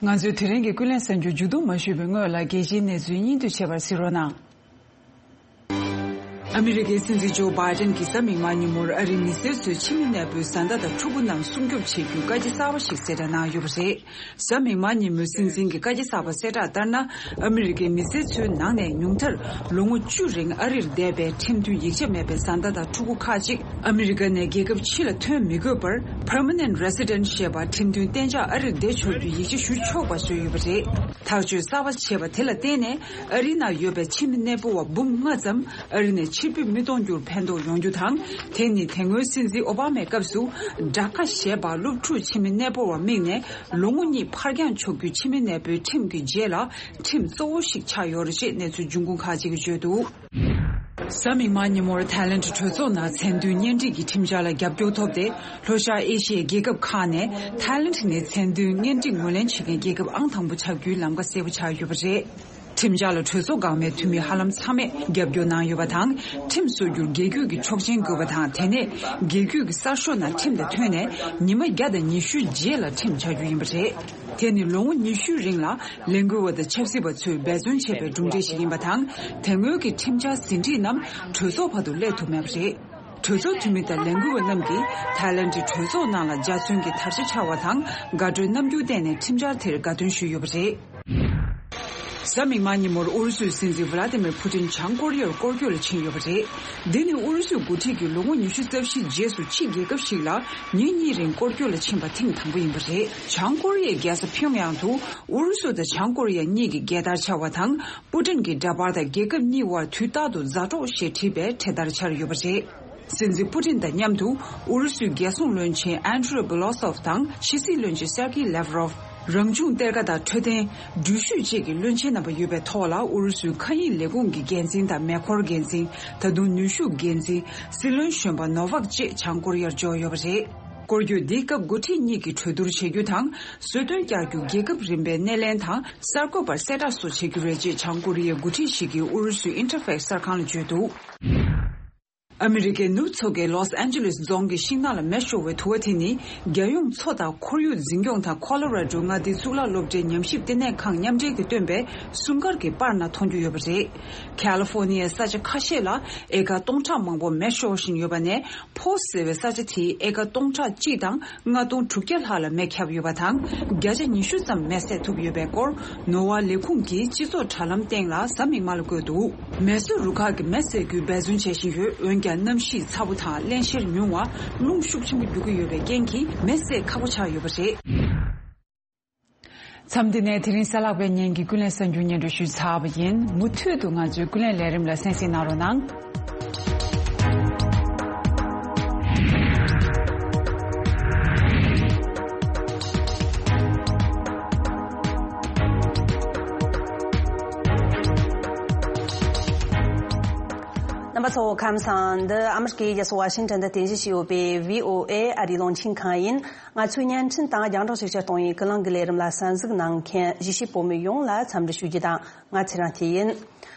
ང་ཚོའི་དེ་རིང་གི་ཀུན་གླེང་གསར་འགྱུར་མཇུག་བསྡོམས་མ་ཞུས་པའི་སྔོན་ལ། རྒྱལ་སྤྱིའི་གནས་ཚུལ་སྙིང་བསྡུས་བྱེད་པར་གཟིགས་རོགས་གནང་། ཨ་མི་རི་ཀའི་སྲིད་འཛིན་ཇོ་བྷའི་ཏན་གྱིས་གཟའ་མིག་དམར་ཉིན་མོར་ཨ་རིའི་མི་སེར་ཚོས་ཕྱི་མི་གནས་སྤོའི་བཟའ་ཟླ་དང་ཕྲུ་གུ་རྣམས་སྲུང་སྐྱོབ་བྱེད་རྒྱུའི་བཀའ་རྒྱ་གསར་པ་ཞིག་གསལ་བསྒྲགས་གནང་ཡོད་པ་རེད། གཟའ་མིག་དམར་ཉིན་མོའི་སྲིད་འཛིན་གྱི་བཀའ་རྒྱ་གསར་པ་གསལ་བསྒྲགས་ལྟར་ན། ཨ་མི་རི་ཀའི་མི་སེར་ཚོའི་ནང་ནས་ཉུང་མཐར་ལོ་ངོ་བཅུ་རིང་ཨ་རིར་བསྡད་པའི་ཁྲིམས་མཐུན་ཡིག་ཆ་མེད་པའི་བཟའ་ཟླ་དང་ཕྲུ་གུ་ཁག་ཅིག་ཨ་མི་རི་ཀ་ནས་རྒྱལ་ཁབ་ཕྱི་ལ་ཐོན་མི་དགོས་པར་Permanent Resident ཞེས་པ་ཁྲིམས་མཐུན་གཏན་འཇགས་ཨ་རིར་བསྡད་ཆོག་རྒྱུའི་ཡིག་ཆ་ཞུ་ཆོག་པ་བཟོས་ཡོད་པ་རེད། ཐག་གཅོད་གསར་པ་བྱས་པ་དེ་ལ་བརྟེན་ནས་ཨ་རིའི་ནང་ཡོད་པའི་ཕྱི་མི་གནས་སྤོ་བ་འབུམ་ལྔ་ཙམ་ཨ་རི་ནས་ཕྱིར་འབུད་མི་གཏོང་རྒྱུར་ཕན་ཐོགས་ཡོང་རྒྱུ་དང་། དེ་ནི་དེ་སྔོན་སྲིད་འཛིན་ཨོ་བྷ་མའི་སྐབས་སུ་ཌ་ཀ་ཞེས་པ་སློབ་ཕྲུག་ཕྱི་མི་གནས་སྤོ་བར་དམིགས་ནས་ལོ་ངོ་གཉིས་ཕར་འགྱངས་ཆོག་རྒྱུའི་ཕྱི་མི་གནས་སྤོའི་ཁྲིམས་ཀྱི་རྗེས་ལ་ཁྲིམས་གཙོ་བོ་ཞིག་ཆགས་ཡོད་རེད་ཅེས་གནས་ཚུལ་འབྱུང་ཁུངས་ཁག་ཅིག་གིས་བརྗོད་འདུག་གཟའ་མིག་དམར་ཉིན་མོར་ཐའི་ལེན་གྲོས་ཚོགས་ནང་མཚན་མཐུན་གཉེན་སྒྲིག་གི་ཁྲིམས་འཆར་ལ་རྒྱབ་སྐྱོར་ཐོབ་སྟེ། ལྷོ་ཤར་ཨེ་ཤི་ཡའི་རྒྱལ་ཁབ་ཁག་ནས་ཐའི་ལེན་ནི་མཚན་མཐུན་གཉེན་སྒྲིག་ངོས་ལེན་བྱེད་མཁན་རྒྱལ་ཁབ་ཨང་དང་པོ་ཆགས་རྒྱུའི་ལམ་ཁ་གསལ་པོ་ཆགས་ཡོད་པ་རེད། ཁྲིམས་འཆར་ལ་གྲོས་ཚོགས་འགག་མའི་འཐུས་མི་ཧ་ལམ་ཚང་མས་རྒྱབ་སྐྱོར་གནང་ཡོད་པ་དང་། ཁྲིམས་བཟོ་རྒྱུར་རྒྱལ་རྒྱུད་ཀྱི་ཆོག་མཆན་དགོས་པ་དང་། དེ་ནས་རྒྱལ་རྒྱུད་ཀྱི་གསར་ཤོག་ནང་ཁྲིམས་དང་མཐུན་ནས་ཉི་མ་བརྒྱ་དང་ཉི་ཤུའི་རྗེས་ལ་ཁྲིམས་ཆགས་རྒྱུ་ཡིན་པ་རེད། དེ་ནི་ལོ་ངོ་ཉི་ཤུའི་རིང་ལ་ལས་འགུལ་བ་དང་ཆབ་སྲིད་པ་ཚོས་འབད་བརྩོན་བྱས་པའི་གྲུབ་འབྲས་ཤིག་ཡིན་པ་དང་། དེ་སྔོན་གྱི་ཁྲིམས་འཆར་ཟིན་བྲིས་རྣམས་གྲོས་ཚོགས་བར་དུ་སླེབས་ཐུབ་མེད་པ་རེད། གྲོས་ཚོགས་འཐུས་མི་དང་ལས་འགུལ་བ་རྣམས་ཀྱིས་ཐའི་ལེན་གྱི་གྲོས་ཚོགས་ནང་ལ་འཇའ་ཚོན་གྱི་དར་ཆ་འཕྱར་བ་དང་། དགའ་སྤྲོའི་རྣམ་འགྱུར་བསྟན་ནས་ཁྲིམས་འཆར་དེར་དགའ་སྟོན་ཞུས་ཡོད་པ་རེད། གཟའ་མིག་དམར་ཉིན་མོར་ཨུ་རུ་སུའི་སྲིད་འཛིན་ཝ་ལ་ཏི་མིར་ཕུ་ཏིན་བྱང་ཀོ་རི་ཡར་སྐོར་སྐྱོད་ལ་ཕྱིན་ཡོད་པ་རེད། འདི་ནི་ཨུ་རུ་སུའི་འགོ་ཁྲིད་ཀྱིས་ལོ་ངོ་ཉི་ཤུ་རྩ་བཞིའི་རྗེས་སུ་ཕྱི་རྒྱལ་ཁབ་ཞིག་ལ་ཉིན་གཉིས་རིང་སྐོར་སྐྱོད་ལ་ཕྱིན་པ་ཐེངས་དང་པོ་ཡིན་པ་རེད། བྱང་ཀོ་རི་ཡའི་རྒྱལ་ས་ཕིའུ་ཡང་དུ་ཨུ་རུ་སུ་དང་བྱང་ཀོ་རི་ཡ་གཉིས་ཀྱི་རྒྱལ་དར་འཕྱར་བ་དང་། པུ་ཏིན་གྱི་འདྲ་པར་དང་། རྒྱལ་ཁབ་གཉིས་དབར་དུས་རྟག་ཏུ་མཛའ་གྲོགས་ཞེས་བྲིས་པའི་འཕྲེད་དར་འཕྱར་ཡོད་པ་རེད། སྲིད་འཛིན་པུ་ཏིན་དང་མཉམ་དུ་ཨུ་རུ་སུའི་རྒྱལ་སྲུང་བློན་ཆེན་ཨན་ཌྲེ་བྷི་ལོ་སོབ་དང་ཕྱི་སྲིད་བློན་ཆེན་སེར་ཀི་ལེབ་རོབ། རང་བྱུང་གཏེར་ཁ་དང་འཕྲོད་བསྟེན། འགྲུལ་བཞུད་བཅས་ཀྱི་བློན་ཆེན་རྣམ་པ་ཡོད་པའི་ཐོག་ལ། ཨུ་རུ་སུའི་མཁའ་དབྱིངས་ལས་ཁུངས་ཀྱི་འགན་འཛིན་དང་མེ་འཁོར་འགན་འཛིན། ད་དུང་ནུས་ཤུགས་འགན་འཛིན། སྲིད་བློན་གཞོན་པ་ནོ་ཝག་བཅས་བྱང་ཀོ་རི་ཡར་འབྱོར་ཡོད་པ་རེད། སྐོར་སྐྱོད་འདིའི་སྐབས་འགོ་ཁྲིད་གཉིས་ཀྱིས་གྲོས་བསྡུར་བྱེད་རྒྱུ་དང་། གསོལ་སྟོན་བསྐྱར་རྒྱུ། རྒྱལ་ཁབ་རིམ་པའི་སྣེ་ལེན་དང་གསར་འགོད་པར་གསལ་བསྒྲགས་སོགས་བྱེད་རྒྱུ་རེད་ཅེས་བྱང་ཀོ་རི་ཡའི་འགོ་ཁྲིད་ཞིག་གིས་ཨུ་རུ་སུའི་ཨིན་ཊར་ཕེག་གསར་ཁང་ལ་བརྗོད་འདུག་ཨ་མི་རི་ཀའི་ནུབ་མཚོ་ཁའི་ལོས་ཨན་ཇེ་ལིས་རྫོང་གི་ཤིང་ནགས་ལ་མེ་ཤོར་བའི་དུ་བ་དེ་ནི། རྒྱལ་ཡོངས་མཚོ་དང་ཁོར་ཡུག་འཛིན་སྐྱོང་དང་ཁོ་ལོ་ར་ཌོ་མངའ་སྡེའི་གཙུག་ལག་སློབ་གྲྭའི་ཉམས་ཞིབ་ལྟེ་གནས་ཁང་མཉམ་འབྲེལ་གྱིས་བཏོན་པའི་སྲུང་སྐར་གྱི་པར་ནང་མཐོང་རྒྱུ་ཡོད་པ་རེད། ཁ་ལི་ཧྥོ་ནི་ཡའི་ས་ཆ་ཁ་ཤས་ལ་ཨེ་ཀར་སྟོང་ཕྲག་མང་པོ་མེ་ཤོར་བཞིན་ཡོད་པ་ནས། ཕོ་ཟེར་བའི་ས་ཆ་དེའི་ཨེ་ཀར་སྟོང་ཕྲག་གཅིག་དང་ལྔ་སྟོང་དྲུག་བརྒྱ་ལྷག་ལ་མེ་ཁྱབ་ཡོད་པ་དང་། བརྒྱ་ཆ་ཉི་ཤུ་ཙམ་མེ་བསད་ཐུབ་ཡོད་པའི་སྐོར། ནོར་བ་ལས་ཁུངས་ཀྱིས་སྤྱི་ཚོགས་དྲ་ལམ་སྟེང་ལ་གཟའ་མིག་དམར་ལ་བཀོད་འདུག་མེ་གསོད་རུ་ཁག་གིས་མེ་བསད་རྒྱུའི་འབད་བརྩོན་བྱེད་བཞིན་ཡོད། འོན་ཀྱང་གནམ་གཤིས་ཚ་པོ་དང་རླན་གཤེར་ཉུང་བ། རླུང་ཤུགས་ཆེན་པོ་རྒྱུག་གི་ཡོད་པའི་རྐྱེན་གྱིས་མེ་བསད་ཁག་པོ་ཆགས་ཡོད་པ་རེད། མཚམས་འདི་ནས་དེ་རིང་གཟའ་ལྷག་པའི་ཉིན་གྱི་ཀུན་གླེང་གསར་འགྱུར་སྙན་སྒྲོན་ཞུས་ཚར་བ་ཡིན། མུ་མཐུད་དུ་ང་ཚོའི་ཀུན་གླེང་ལས་རིམ་ལ་གསན་གཟིགས་གནང་རོགས་གནང་། རྣམ་པ་ཚོ་ཁམས་བཟང་། འདི་ཨ་མི་རི་ཀའི་རྒྱལ་ས་ཝ་ཤིང་ཊོན་དུ་རྟེན་གཞི་བྱས་ཡོད་པའི་བྷི་ཨོ་ཨེ་ཨ་རིའི་རླུང་འཕྲིན་ཁང་ཡིན། ང་ཚོའི་བརྙན་འཕྲིན་དང་རྒྱང་བསྒྲགས་ཤུགས་ཆེར་གཏོང་བའི་ཀུན་གླེང་གི་ལས་རིམ་ལ་གསན་གཟིགས་གནང་མཁན་གཞིས་བྱེས་བོད་མི་ཡོངས་ལ་འཚམས་འདྲི་ཞུ་རྒྱུ་དང་། ང་ཚེ་རིང་སྐྱིད་ཡིན།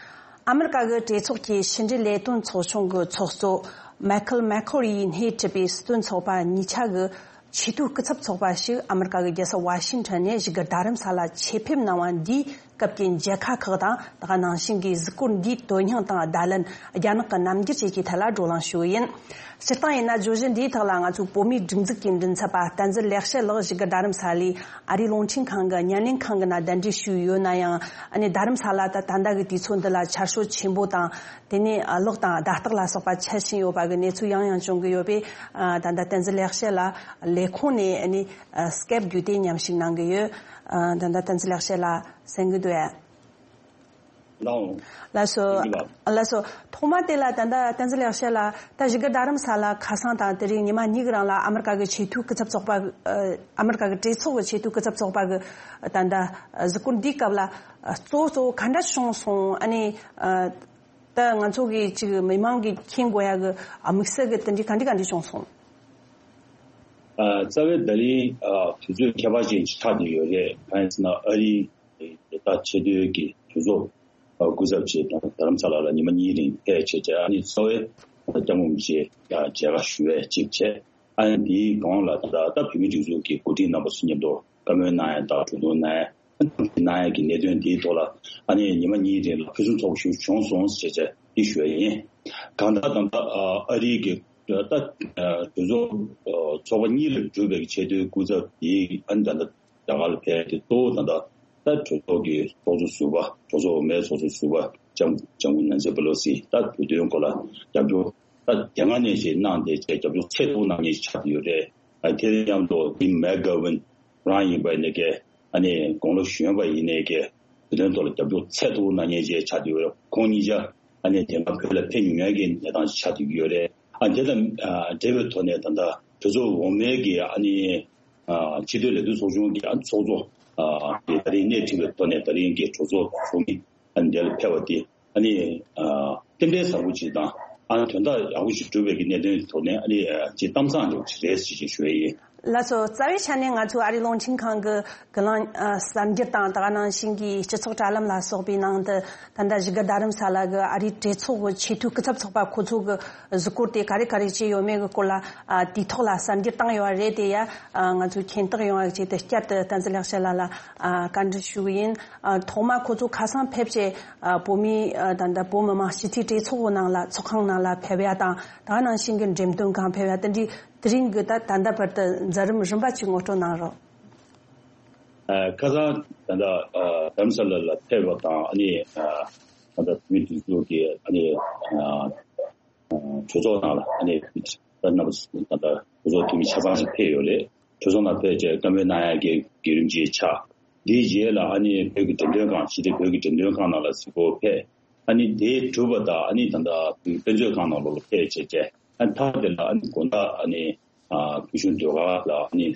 ཨ་མི་རི་ཀ་གི་གྲོས་ཚོགས་ཀྱི་ཕྱི་འབྲེལ་ལས་དོན་ཚོགས་ཆུང་གི་ཚོགས་གཙོ་མའི་ཁལ་མེག་ཁོ་ཡིས་སྣེ་ཁྲིད་པའི་སྲིད་དོན་ཚོགས་པ་གཉིས་ཆ་གི་ཆེས་མཐོའི་སྐུ་ཚབ་ཚོགས་པ་ཞིག་ཨ་མི་རི་ཀ་གི་རྒྱལ་ས་ཝ་ཤིང་ཊོན་ནས་བཞུགས་སྒར་རྡ་རམ་ས་ལ་ཆེད་ཕེབས་གནང་བ་འདིའི་སྐབས་ཀྱི་མཇལ་ཁ་ཁག་དང་། ད་ག་ནང་བཞིན་གྱི་གཟིགས་སྐོར་འདིའི་དོན་སྙིང་དང་བརྡ་ལན། རྒྱ་ནག་གི་རྣམ་འགྱུར་བཅས་ཀྱི་ཐད་ལ་བགྲོ་གླེང་ཞུ་གི་ཡིན། སྤྱིར་བཏང་ཡིན་ན། བརྗོད་གཞི་འདིའི་ཐོག་ལ་ང་ཚོའི་བོད་མིའི་སྒྲིག་འཛུགས་ཀྱི་མགྲིན་ཚབ་པ་བསྟན་འཛིན་ལེགས་བཤད་ལགས་བཞུགས་སྒར་རྡ་རམ་ས་ལའི་ཨ་རིའི་རླུང་འཕྲིན་ཁང་གི་བརྙན་ལེན་ཁང་གི་ནང་གདན་འདྲེན་ཞུས་ཡོད་ན་ཡང་། ཨ་ནི་རྡ་རམ་ས་ལ་ད་ད་ལྟ་གི་དུས་ཚོད་འདི་ལ་ཆར་ཤུགས་ཆེན་པོ་དང་། དེ་ནས་གློག་དང་བརྡ་རྟགས་ལ་སོགས་པ་ཆད་བཞིན་ཡོད་པ་གི་གནས་ཚུལ་ཡང་ཡང་བྱུང་གི་ཡོད་པས། ཨ། ད་ལྟ་བསྟན་འཛིན་ལེགས་བཤད་ལགས་ལས་ཁུངས་ནས་ཨ་ནི་སྐེབ་བརྒྱུད་དེ་མཉམ་ཞུགས་གནང་གི་ཡོད། ཨ། ད་ལྟ་བསྟན་འཛིན་ལེགས་བཤད་ལགས་གསན་གི་འདུག་ཨ། ལགས་སོ། ལགས་སོ། ཐོག་མ་དེ་ལ་ད་ལྟ་བསྟན་འཛིན་ལེགས་བཤད་ལགས་ད་བཞུགས་སྒར་རྡ་རམ་ས་ལ་ཁ་སང་དང་དེ་རིང་ཉི་མ་གཉིས་ཀྱི་རིང་ལ་ཨ་མི་རི་ཀ་གི་ཆེས་མཐོའི་སྐུ་ཚབ་ཚོགས་པ། ཨ། ཨ་མི་རི་ཀ་གི་གྲོས་ཚོགས་ཀྱི་ཆེས་མཐོའི་སྐུ་ཚབ་ཚོགས་པ་གི་ད་ལྟ་གཟིགས་སྐོར་འདིའི་སྐབས་ལ་གཙོ་བོ་གཙོ་བོ་ག་འདྲ་བྱུང་སོང་། ཨ་ནི། ཨ། ད་ང་ཚོ་གི་ཅིག་མི་མང་གི་མཁྱེན་དགོས་ཡ་གི་དམིགས་བསལ་གི་དེ་འདྲའི་ག་འདྲ་ག་འདྲ་བྱུང་སོང་། ཨ། རྩ་བའི་ད་རིང་། ཨ། དུས་ཚོད་ཁྱད་པར་ཅན་ཆགས་བསྡད་ཡོད་རེད། གང་ཡིན་ཟེར་ན་ཨ་རིའི་ད་ཆེས་མཐོའི་གི་གྲོས་ཚོགས་སྐུ་ཚབ་ཅིག་རྡ་རམ་ས་ལ་ལ་ཉི་མ་གཉིས་རིང་ཕེབས་བྱས་བྱས། ཨ་ནི་གཙོ་བོའི་སྐྱབས་མགོན་རིན་པོ་ཆེ་མཇལ་ཁ་ཞུ་བའི་གཅིག་བྱས། ཨ་ནི་དེའི་གོང་ལ་ད་ད་བོད་མིའི་སྒྲིག་འཛུགས་ཀྱི་འགོ་ཁྲིད་རྣམ་པ་ཚོ་མཉམ་དུ་བཀའ་མོལ་གནང་ཡ་དང་གྲོས་བསྡུར་གནང་ཡ། གནང་ཡ་གི་གནད་དོན་དེའི་ཐོག་ལ་ཨ་ནི་ཉི་མ་གཉིས་རིང་ལ་ཕུན་སུམ་ཚོགས་པ་ཞིག་བྱུང་སོང་ཞེས་བྱས་ དེ་ཞུ་ཡ་ཡིན། གང་ལྟར་ད་ལྟ་ཨ་རིའི་གི་ད་གྲོས་ཚོགས་ཚོགས་པ་གཉིས་ལས་གྲུབ་པའི་ཆེས་མཐོའི་སྐུ་ཚབ་དེ་ཨ་ནི་ད་ལྟ་རྒྱ་གར་ལ་ཕེབས་ཏེ། གཙོ་བོ་ད་ལྟ་ད་གྲོས་ཚོགས་ཀྱི་ཚོགས་གཙོ་ཟུར་པ། གྲོས་ཚོགས་འོག་མའི་ཚོགས་གཙོ་ཟུར་པ་ལྕམ་ལྕམ་སྐུ་ནན་སི་པེ་ལོ་སི་ད་བོད་དོན་སྐོར་ལ་རྒྱབ་སྐྱོར་ད་དེ་སྔ་ནས་ཅིག་གནང་བསྡད་བྱས་རྒྱབ་སྐྱོར་ཚད་མཐོ་གནང་མཁན་ཞིག་ཆགས་བསྡད་ཡོད་རེད། ཨ་དེ་དང་མཉམ་དུ་དེ་མེག་གྷ་ཝིན་རང་ཡིན་པ་ཡིན་ནའི་གི་ཨ་ནི་དགུང་ལོ་གཞོན་པ་ཡིན་ནའི་གི་བོད་དོན་ཐོག་ལ་རྒྱབ་སྐྱོར་ཚད་མཐོ་གནང་མཁན་ཅིག་ཆགས་བསྡད་ཡོད་རེད། ཁོང་གཉིས་ཆ་ཨ་ནི་དེ་སྔ་བོད་ལ་ཕེབས་མྱོང་མཁན་གྱི་གནས་སྟངས་ཆགས་བསྡད་ཀྱི་ཡོད་རེད། ཨ་དེ་དང་ཨ་འབྲེལ་བའི་ཐོག་ནས་ད་ལྟ་གྲོས་ཚོགས་འོག་མའི་གི་ཨ་ནི་ཨ་ཕྱི་དོན་ལས་དོན་ཚོགས་ཆུང་གི་ཨ་ཚོགས་གཙོ་ཨ་དེ་ད་རིང་སྣེ་ཁྲིད་པའི་ཐོག་ནས་ད་རིང་གི་གྲོས་ཚོགས་ཚོགས་མི་ཨ་ནི་འདིར་ཕེབས་པ་དེ་ཨ་ནི་ཨ་རྟེན་འབྲེལ་བཟང་པོ་ཅིག་དང་། ཨ་ནི་དོན་དག་ཡག་པོ་ཞིག་གྲུབ་པའི་གི་གནད་དོན་ཐོག་ནས་ཨ་ནི་ཨ་ཅིག་གཏམ་བཟང་འདྲ་བོ་ཅིག་རེད་ཟེར་ཞེས་ཞུ་ཡ་ཡིན། ལགས་སོ། རྩ་བའི་ཆ་ནས་ང་ཚོའི་ཨ་རིའི་རླུང་འཕྲིན་ཁང་གི་གི་ལང་ཨ་གསར་འགྱུར་དང་། ད་ག་ནང་བཞིན་གྱི་སྤྱི་ཚོགས་དྲ་ལམ་ལ་སོགས་པའི་ནང་དུ་ད་ལྟ་བཞུགས་སྒར་རྡ་རམ་ས་ལ་གི་ཨ་རིའི་གྲོས་ཚོགས་ཀྱི་ཆེས་མཐོའི་སྐུ་ཚབ་ཚོགས་པ་ཁོ་ཚོ་གི་གཟིགས་སྐོར་དེ་ག་རེ་ག་རེ་བྱས་ཡོད་མེད་ཀྱི་སྐོར་ལ་ཨ་དུས་ཐོག་ལ་གསར་འགྱུར་བཏང་ཡོད་རེད། དེ་ཡ་ཨ་ང་ཚོས་མཁྱེན་རྟོགས་ཡོང་བ་ཆེད་དུ་བསྐྱར་དུ་བསྟན་འཛིན་ལེགས་བཤད་ལགས་ལ་ཨ་བཀའ་འདྲི་ཞུ་གི་ཡིན། ཨ་ཐོག་མ་ཁོ་ཚོ་ཁ་སང་ཕེབས་བྱས་ཨ་བོད་མི་ཨ་ད་ལྟ་བོད་མི་མང་སྤྱི་འཐུས་གྲོས་ཚོགས་ནང་ལ་ཚོགས་ཁང་ནང་ལ་ཕེབས་ཡ་དང་། ད་ག་ནང་བཞིན་གྱི་འགྲེམས་སྟོན་ཁང་ཕེབས་ཡ་དེ་འདྲའི་དེ་རིང་གི་ད་ད་ལྟ་བར་དུ་མཛད་རིམ་རིམ་པ་ཅིག་ངོ་སྤྲོད་གནང་རོགས། ཨ་ཁ་སང་ད་ལྟ་ཨ་རྡ་རམ་ས་ལ་ལ་ཕེབས་པ་དང་། ཨ་ནི་ཨ་ད་ལྟ་བོད་མི་སྒྲིག་འཛུགས་ཀྱི་ཨ་ནི་ཨ་གྲོས་ཚོགས་ནང་ལ་ཨ་ནི་ད་རྣམ་པ་ད་ལྟ་གྲོས་ཚོགས་འཐུས་མི་ཆ་ཚང་ཞིག་ཕེབས་ཡོད་རེད། གྲོས་ཚོགས་ནང་ཕེབས་བྱས་བཀའ་མོལ་གནང་ཡ་གི་བརྒྱུད་རིམ་ཅིག་ཆགས། དེའི་རྗེས་ལ་ཨ་ནི་བོད་ཀྱི་འགྲེམས་སྟོན་ཁང་། ཕྱི་དྲིལ་བོད་ཀྱི་འགྲེམས་སྟོན་ཁང་ནང་ལ་གཟིགས་སྐོར་ཕེབས། ཨ་ནི་དེ་གྲུབ་པ་དང་། ཨ་ནི་ད་ལྟ་དཔེ་མཛོད་ཁང་ནང་ལོགས་ལ་ཕེབས་བྱས་བྱས། ཨ་ནི་མཐའ་དེ་ལ་ཨ་ནི་དགོང་དག་ཨ་ནི་ཨ་བོད་གཞུང་ཟློས་གར་ལ་ཨ་ནི་ཨ་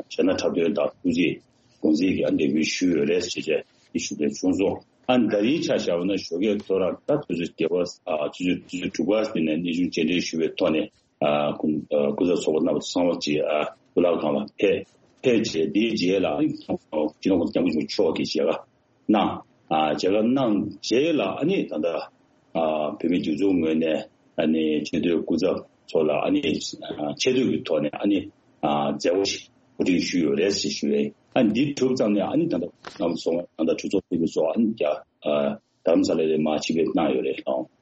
གཞས་སྣ་འཁྲབ་སྟོན་དང་ཐུགས་རྗེ་དགོངས་འཛིན་གྱི་ཨ་འདེགས་འབུལ་ཞུས་ཡོད་རེད་ཟེར་བྱས་དེ་ཞུ་འདོད་བྱུང་སོང་། ཨ་ནི་ད་རིང་ཆ་བཞག་པ་ན་ཞོགས་ཀས་ཐོ་རངས་ད་ཆུ་ཚོད་བརྒྱད་པ་ཨ་ཆུ་ཚོད་ཆུ་ཚོད་དྲུག་པ་དེ་ནས་གནས་ཆུང་མཇལ་འཕྲད་ཞུ་བའི་ཐོག་ནས། ཨ་སྐུ་ཨ་སྐུ་ཚབ་ཚོགས་པ་རྣམ་པ་ཚང་མ་ཅིག་ཨ་གཙུག་ལག་ཁང་ལ་ཕེབས། ཕེབས་རྗེས་དེའི་རྗེས་ལ་ཨ་ནི་སྤྱི་ནོར་གོང་ས་སྐྱབས་མགོན་ཆེན་པོ་མཆོག་གིས་མཇལ་ཁ་གནང་། ཨ་མཇལ་ཁ་གནང་རྗེས་ལ་ཨ་ནི་ད་ལྟ་ཨ་བོད་མིའི་སྒྲིག་འཛུགས་ངོས་ནས་ཨ་ནི་ཆེས་མཐོའི་སྐུ་ཚབ་ཚོ་ལ་ཨ་ནི་ཨ་ཆེ་བསྟོད་ཀྱི་ཐོག་ནས་ཨ་ནི་ཨ་མཛད་སྒོ་ཞིག་གོ་སྒྲིག་ཞུས་ཡོད་རེད་ཅེས་ཞུ་བས། ཨ་ནི་འདི་གྲུབ་ཙམ་ནས་ཨ་ནི་ད་ལྟ་རྣམ་པ་ཚོ་ད་ལྟ་གྲོས་ཚོགས་འཐུས་མི་ཚོ་ཨ་ནི་རྒྱ་ཨ་རྡ་རམ་ས་ལ་ལ་མར་ཆིབས་ཕེབས་གནང་ཡོད་རེད་ལགས།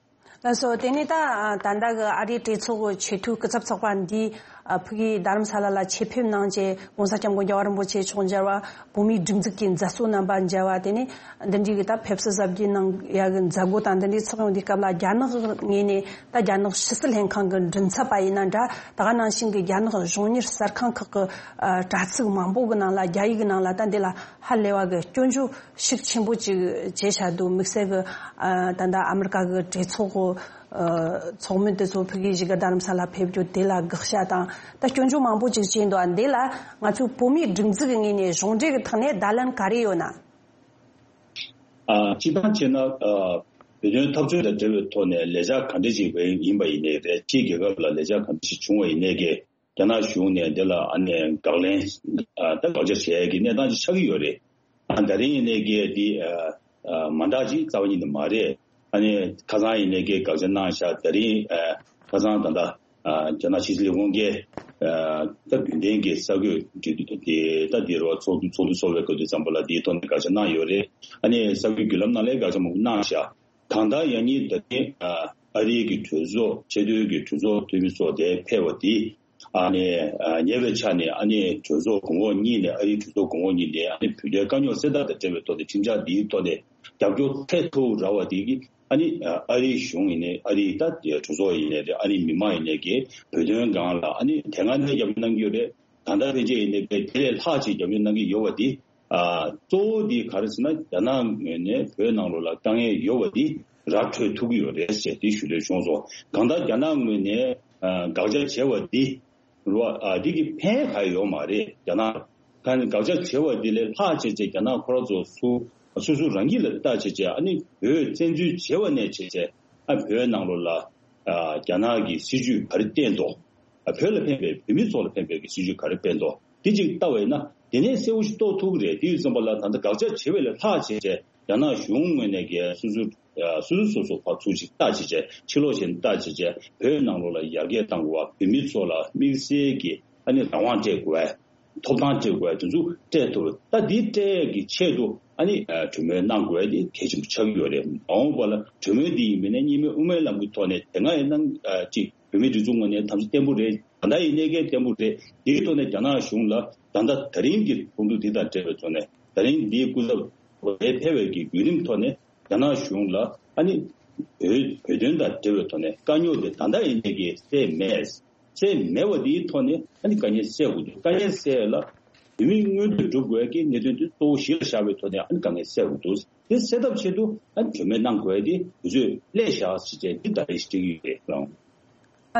ལགས་སོ། དེ་ནས་ད་ད་ལྟ་གི་ཨ་རིའི་གྲོས་ཚོགས་ཀྱི་ཆེས་མཐོའི་སྐུ་ཚབ་ཚོགས་པ་འདིས་ཨ་ཕ་གིའི་རྡ་རམ་ས་ལ་ལ་ཆེད་ཕེབས་གནང་བྱས་༸གོང་ས་༸སྐྱབས་མགོན་རྒྱལ་བ་རིན་པོ་ཆེ་མཆོག་མཇལ་བ། བོད་མིའི་སྒྲིག་འཛུགས་ཀྱི་མཛད་གཙོ་རྣམ་པ་མཇལ་བ། དེ་ནས་འདི་འདྲའི་གི་ད་ཕེབས་བསུ་གཟབ་རྒྱས་གནང་ཡ་གི་མཛད་སྒོ་དང་འདི་འདྲའི་ཚོགས་ཡོང་དུས་སྐབས་ལ། རྒྱ་ནག་གི་ངོས་ནས་ད་རྒྱ་ནག་ཕྱི་སྲིད་ལྷན་ཁང་གི་མགྲིན་ཚབ་པ་ཡིན་ན་འདྲ། ད་ག་ནང་བཞིན་གི་རྒྱ་ནག་གཞུང་གཉེར་གསར་ཁང་ཁག་གི་ཨ་དྲ་ཚིགས་མང་པོ་གི་ནང་ལ། རྒྱ་ཡིག་གི་ནང་ལ་ད་འདི་ལ་ཧ་ལས་པ་གི་སྐྱོན་བརྗོད་ཤུགས་ཆེན་པོ་ཅིག་བྱས་བཞག་འདུག། དམིགས་བསལ་གྱི་ཨ་ད་ལྟ་ཨ་མི་རི་ཀ་གི་གྲོས་ཚོགས་ཀྱི་ཨ་ཚོགས་མི་དེ་ཚོ་ཕ་གིའི་བཞུགས་སྒར་རྡ་རམ་ས་ལ་ཕེབས་རྒྱུ་དེ་ལ་དགག་བྱ་དང་ད་སྐྱོན་བརྗོད་མང་པོ་ཅིག་བྱས་འདུག། ཨ་འདི་ལ་ང་ཚོའི་བོད་མིའི་སྒྲིག་འཛུགས་ཀྱི་ངོས་ནས་གཞུང་འབྲེལ་གྱི་ཐོག་ནས་བརྡ་ལན་ག་རེ་ཡོད་ན། ཨ་སྤྱིར་བཏང་བྱས་ན་ཨ་བོད་དོན་འཐབ་རྩོད་དང་འབྲེལ་བའི་ཐོག་ནས་ལས་འཆར་ག་འདྲ་ཞིག་ཡིན་པ་ཡིན་ནའི་རེད། ཕྱིའི་རྒྱལ་ཁབ་ལ་ལས་འཆར་ག་འདྲ་ཞིག་བྱུང་བ་ཡིན་ནའི་གི་རྒྱ་ནག་གཞུང་ནས་འདི་ལ་ཨ་ནི་དགག་ལན་ཨ་ད་དགག་བྱ་བྱེད་ཡ་གི་གནས་སྟངས་ཅིག་ཆགས་ཀྱི་ཡོད་རེད། ཨ་ད་རིང་ཡིན་ནའི་གི་འདི་ཨ་ཨ་མ་འདྲ་ཅིག་རྩ་བ་ཉིད་ནས་མ་རེད། ཨ་ནི་ཁ་སང་ཡིན་ནའི་གི་དགག་བྱ་གནང་ཤག། ད་རིང་ཨ་ཁ་སང་ད་ལྟ་ཨ་རྒྱ་ནག་ཕྱི་སྲིད་ལས་ཁུངས་ཀྱིས་ཨ་ད་རྒྱུན་ལྡན་གྱི་གསར་འགོད་འབྲེལ་མཐུད་དེ་ད་འདི་རུ་ཚོགས་འདུ་ཚོགས་འདུ་ཚོགས་པའི་སྐབས་དུས་ཙམ་པ་ལ་འདིའི་ཐོག་ནས་དགག་བྱ་གནང་ཡོད་རེད། ཨ་ནི་གསར་འགོད་བརྒྱུད་ལམ་ནང་ལ་དགག་བྱ་མང་པོ་གནང་ཤག། གང་ལྟར་ཡང་སྙིང་ད་ཐེངས་ཨ་ཨ་རིའི་གི་གྲོས་ཚོགས་ཆེས་མཐོའི་གི་གྲོས་ཚོགས་འཐུས་མི་ཚོ་དེ་ཕེབས་པ་དེ་ཨ་ནི་ཨ་ཉེ་བའི་ཆར་ནས་ཨ་ནི་གྲོས་ཚོགས་གོང་འོག་གཉིས་ནས་ཨ་རིའི་གྲོས་ཚོགས་གོང་འོག་གཉིས་ནས་ཨ་ནི་བོད་དོན་དཀའ་རྙོག་སེལ་ཐབས་དང་འབྲེལ་བའི་ཐོག་ནས་ཁྲིམས་འཆར་འདིའི་ཐོག་ནས་རྒྱབ་སྐྱོར་ཚད་མཐོ་རུ་རག་པ་དེ་གིས་ཨ་ནི་ཨ་རིའི་གཞུང་ཡིན་ནའི་ཨ་རིའི་ད་གྲོས་ཚོགས་ཡིན་ནའི་རེད། ཨ་རིའི་མི་མང་ཡིན་ནའི་གི་བོད་དོན་སྒང་ལ་ཨ་ནི་དེ་སྔ་ནས་རྒྱབ་སྐྱོར་གནང་གི་ཡོད་རེད། ད་ལྟ་ཕན་ཆད་ཡིན་ནའི་དེ་ལས་ལྷག་ཅིག་རྒྱབ་སྐྱོར་གནང་གི་ཡོད་པ་དེ། ཨ་གཙོ་བོ་དེ་ག་རེ་ཟེར་ན་རྒྱ་ནག་ངོས་ནས་བོད་ནང་ལོགས་ལ་དཀའ་ངལ་ཡོད་པ་དེ་ར་འཕྲོད་ཐུབ་ཀྱི་ཡོད་རེད་ཅེས་དེ་ཞུ་འདོད་བྱུང་སོང་། གང་ལྟར་རྒྱ་ནག་ངོས་ནས་ཨ་དགག་བྱ་བྱས་པ་དེ་རུ་ཨ་དེ་གི་ཕན་ག་ཡོད་མ་རེད། རྒྱ་ནག་ག་དགག་བྱ་བྱས་པ་དེ་ལས་ལྷག་བྱས་བྱས་རྒྱ་ནག་ཁོ་རང་ཚོ་སུ་སུ་སུ་རང་གིས་ལ་ལྟ་བྱས་བྱས་ཨ་ནི་བོད་བཙན་འཛུལ་བྱས་པ་ནས་བྱས་བྱས་ཨ་བོད་ནང་ལོགས་ལ་ཨ་རྒྱ་ནག་གི་སྲིད་ཇུས་ག་རེ་བསྟན་འདུག། ཨ་བོད་ལ་ཕན་པའི་བོད་མི་ཚོ་ལ་ཕན་པའི་གི་སྲིད་ཇུས་ག་རེ་སྤེལ་འདུག། དེ་གཅིག་ལྟ་བས་ན་དེ་ནས་གསལ་བོ་ཞིག་རྟོགས་ཐུབ་ཀྱི་རེད། དེ་ཡིན་ཙམ་པ་ལ་ད་ལྟ་དགག་བྱ་བྱེད་པ་ལས་ལྷག་བྱས་བྱས་རྒྱ་ནག་གཞུང་ངོས་ནས་གི་སོ་སོ་ཨ་སོ་སོ་སོ་སོ་ཕར་ཚུར་ཞིག་ལྟ་བྱས་བྱས་ཕྱི་ལོགས་ཞིག་ལྟ་བྱས་བྱས་བོད་ནང་ལོགས་ལ་ཡར་རྒྱས་གཏང་དགོས་པ། བོད་མི་ཚོ་ལ་དམིགས་བསལ་གྱི་ཨ་ནི་རང་དབང་སྤྲད་དགོས་པ། ཐོབ་ཐང་སྤྲད་དགོས་དེ་ཚོ་སྤྲད་ཐུབ། ད་འདི་སྤྲད་ཀྱི་ཆེད་དུ་ཨ་ནི་གྲོས་མོལ་གནང་དགོས་དེ་གལ་ཆེན་པོ་ཆགས་ཀྱི་ཡོད་རེད། མ་འོངས་པ་ལ་གྲོས་མོལ་འདི་ཡིན་པས་ན་གཉིས་སྨན་དབུ་མའི་ལམ་གྱི་ཐོག་ནས་དེ་སྔ་ཡིན་ན་ཅིག་བོད་མིའི་སྒྲིག་འཛུགས་ངོས་ནས་དམ་བཅའ་བརྟན་པོ་རེད། ད་ལྟ་ཡིན་ནའི་གལ་བརྟན་པོ་རེད། དེའི་ཐོག་ནས་རྒྱ་ནག་གཞུང་ལ་ད་ལྟ་ད་རིང་གི་ཚོགས་འདུ་འདི་དང་འབྲེལ་བའི་ཐོག་ནས་ད་རིང་འདིའི་སྐུ་ཚབ་ཕེབས་པའི་གི་བརྒྱུད་རིམ་ཐོག་ནས་རྒྱ་ནག་གཞུང་ལ་ཨ་ནི་བོད་བོད་དོན་དང་འབྲེལ་བའི་ཐོག་ནས་དཀའ་རྙོག་དེ་ད་ལྟ་ཡིན་ནའི་གལ་སེལ་མེད། སེལ་མེད་པ་དེའི་ཐོག་ནས་ཨ་ནི་དཀའ་ངལ་སེལ་དགོས་འདུག་དཀའ་ངལ་སེལ་ལ་བོད་མིའི་མངོན་འདོད་སྒྲུབ་དགོས་ཀྱི་གནད་དོན་དེ་གཙོ་བོ་གཞི་ལ་བཞག་པའི་ཐོག་ནས་ཨ་ནི་དཀའ་ངལ་སེལ་དགོས་འདུག་དེ་སེལ་ཐབས་ཆེད་དུ་ཨ་ནི་གྲོས་མོལ་གནང་དགོས་དེ་དུས་ཚོད་སླེབས་བཞག་ཟེར་བྱས་འདི་ད་རེས་བྲིས་ཀྱི་ཡོད་རེད།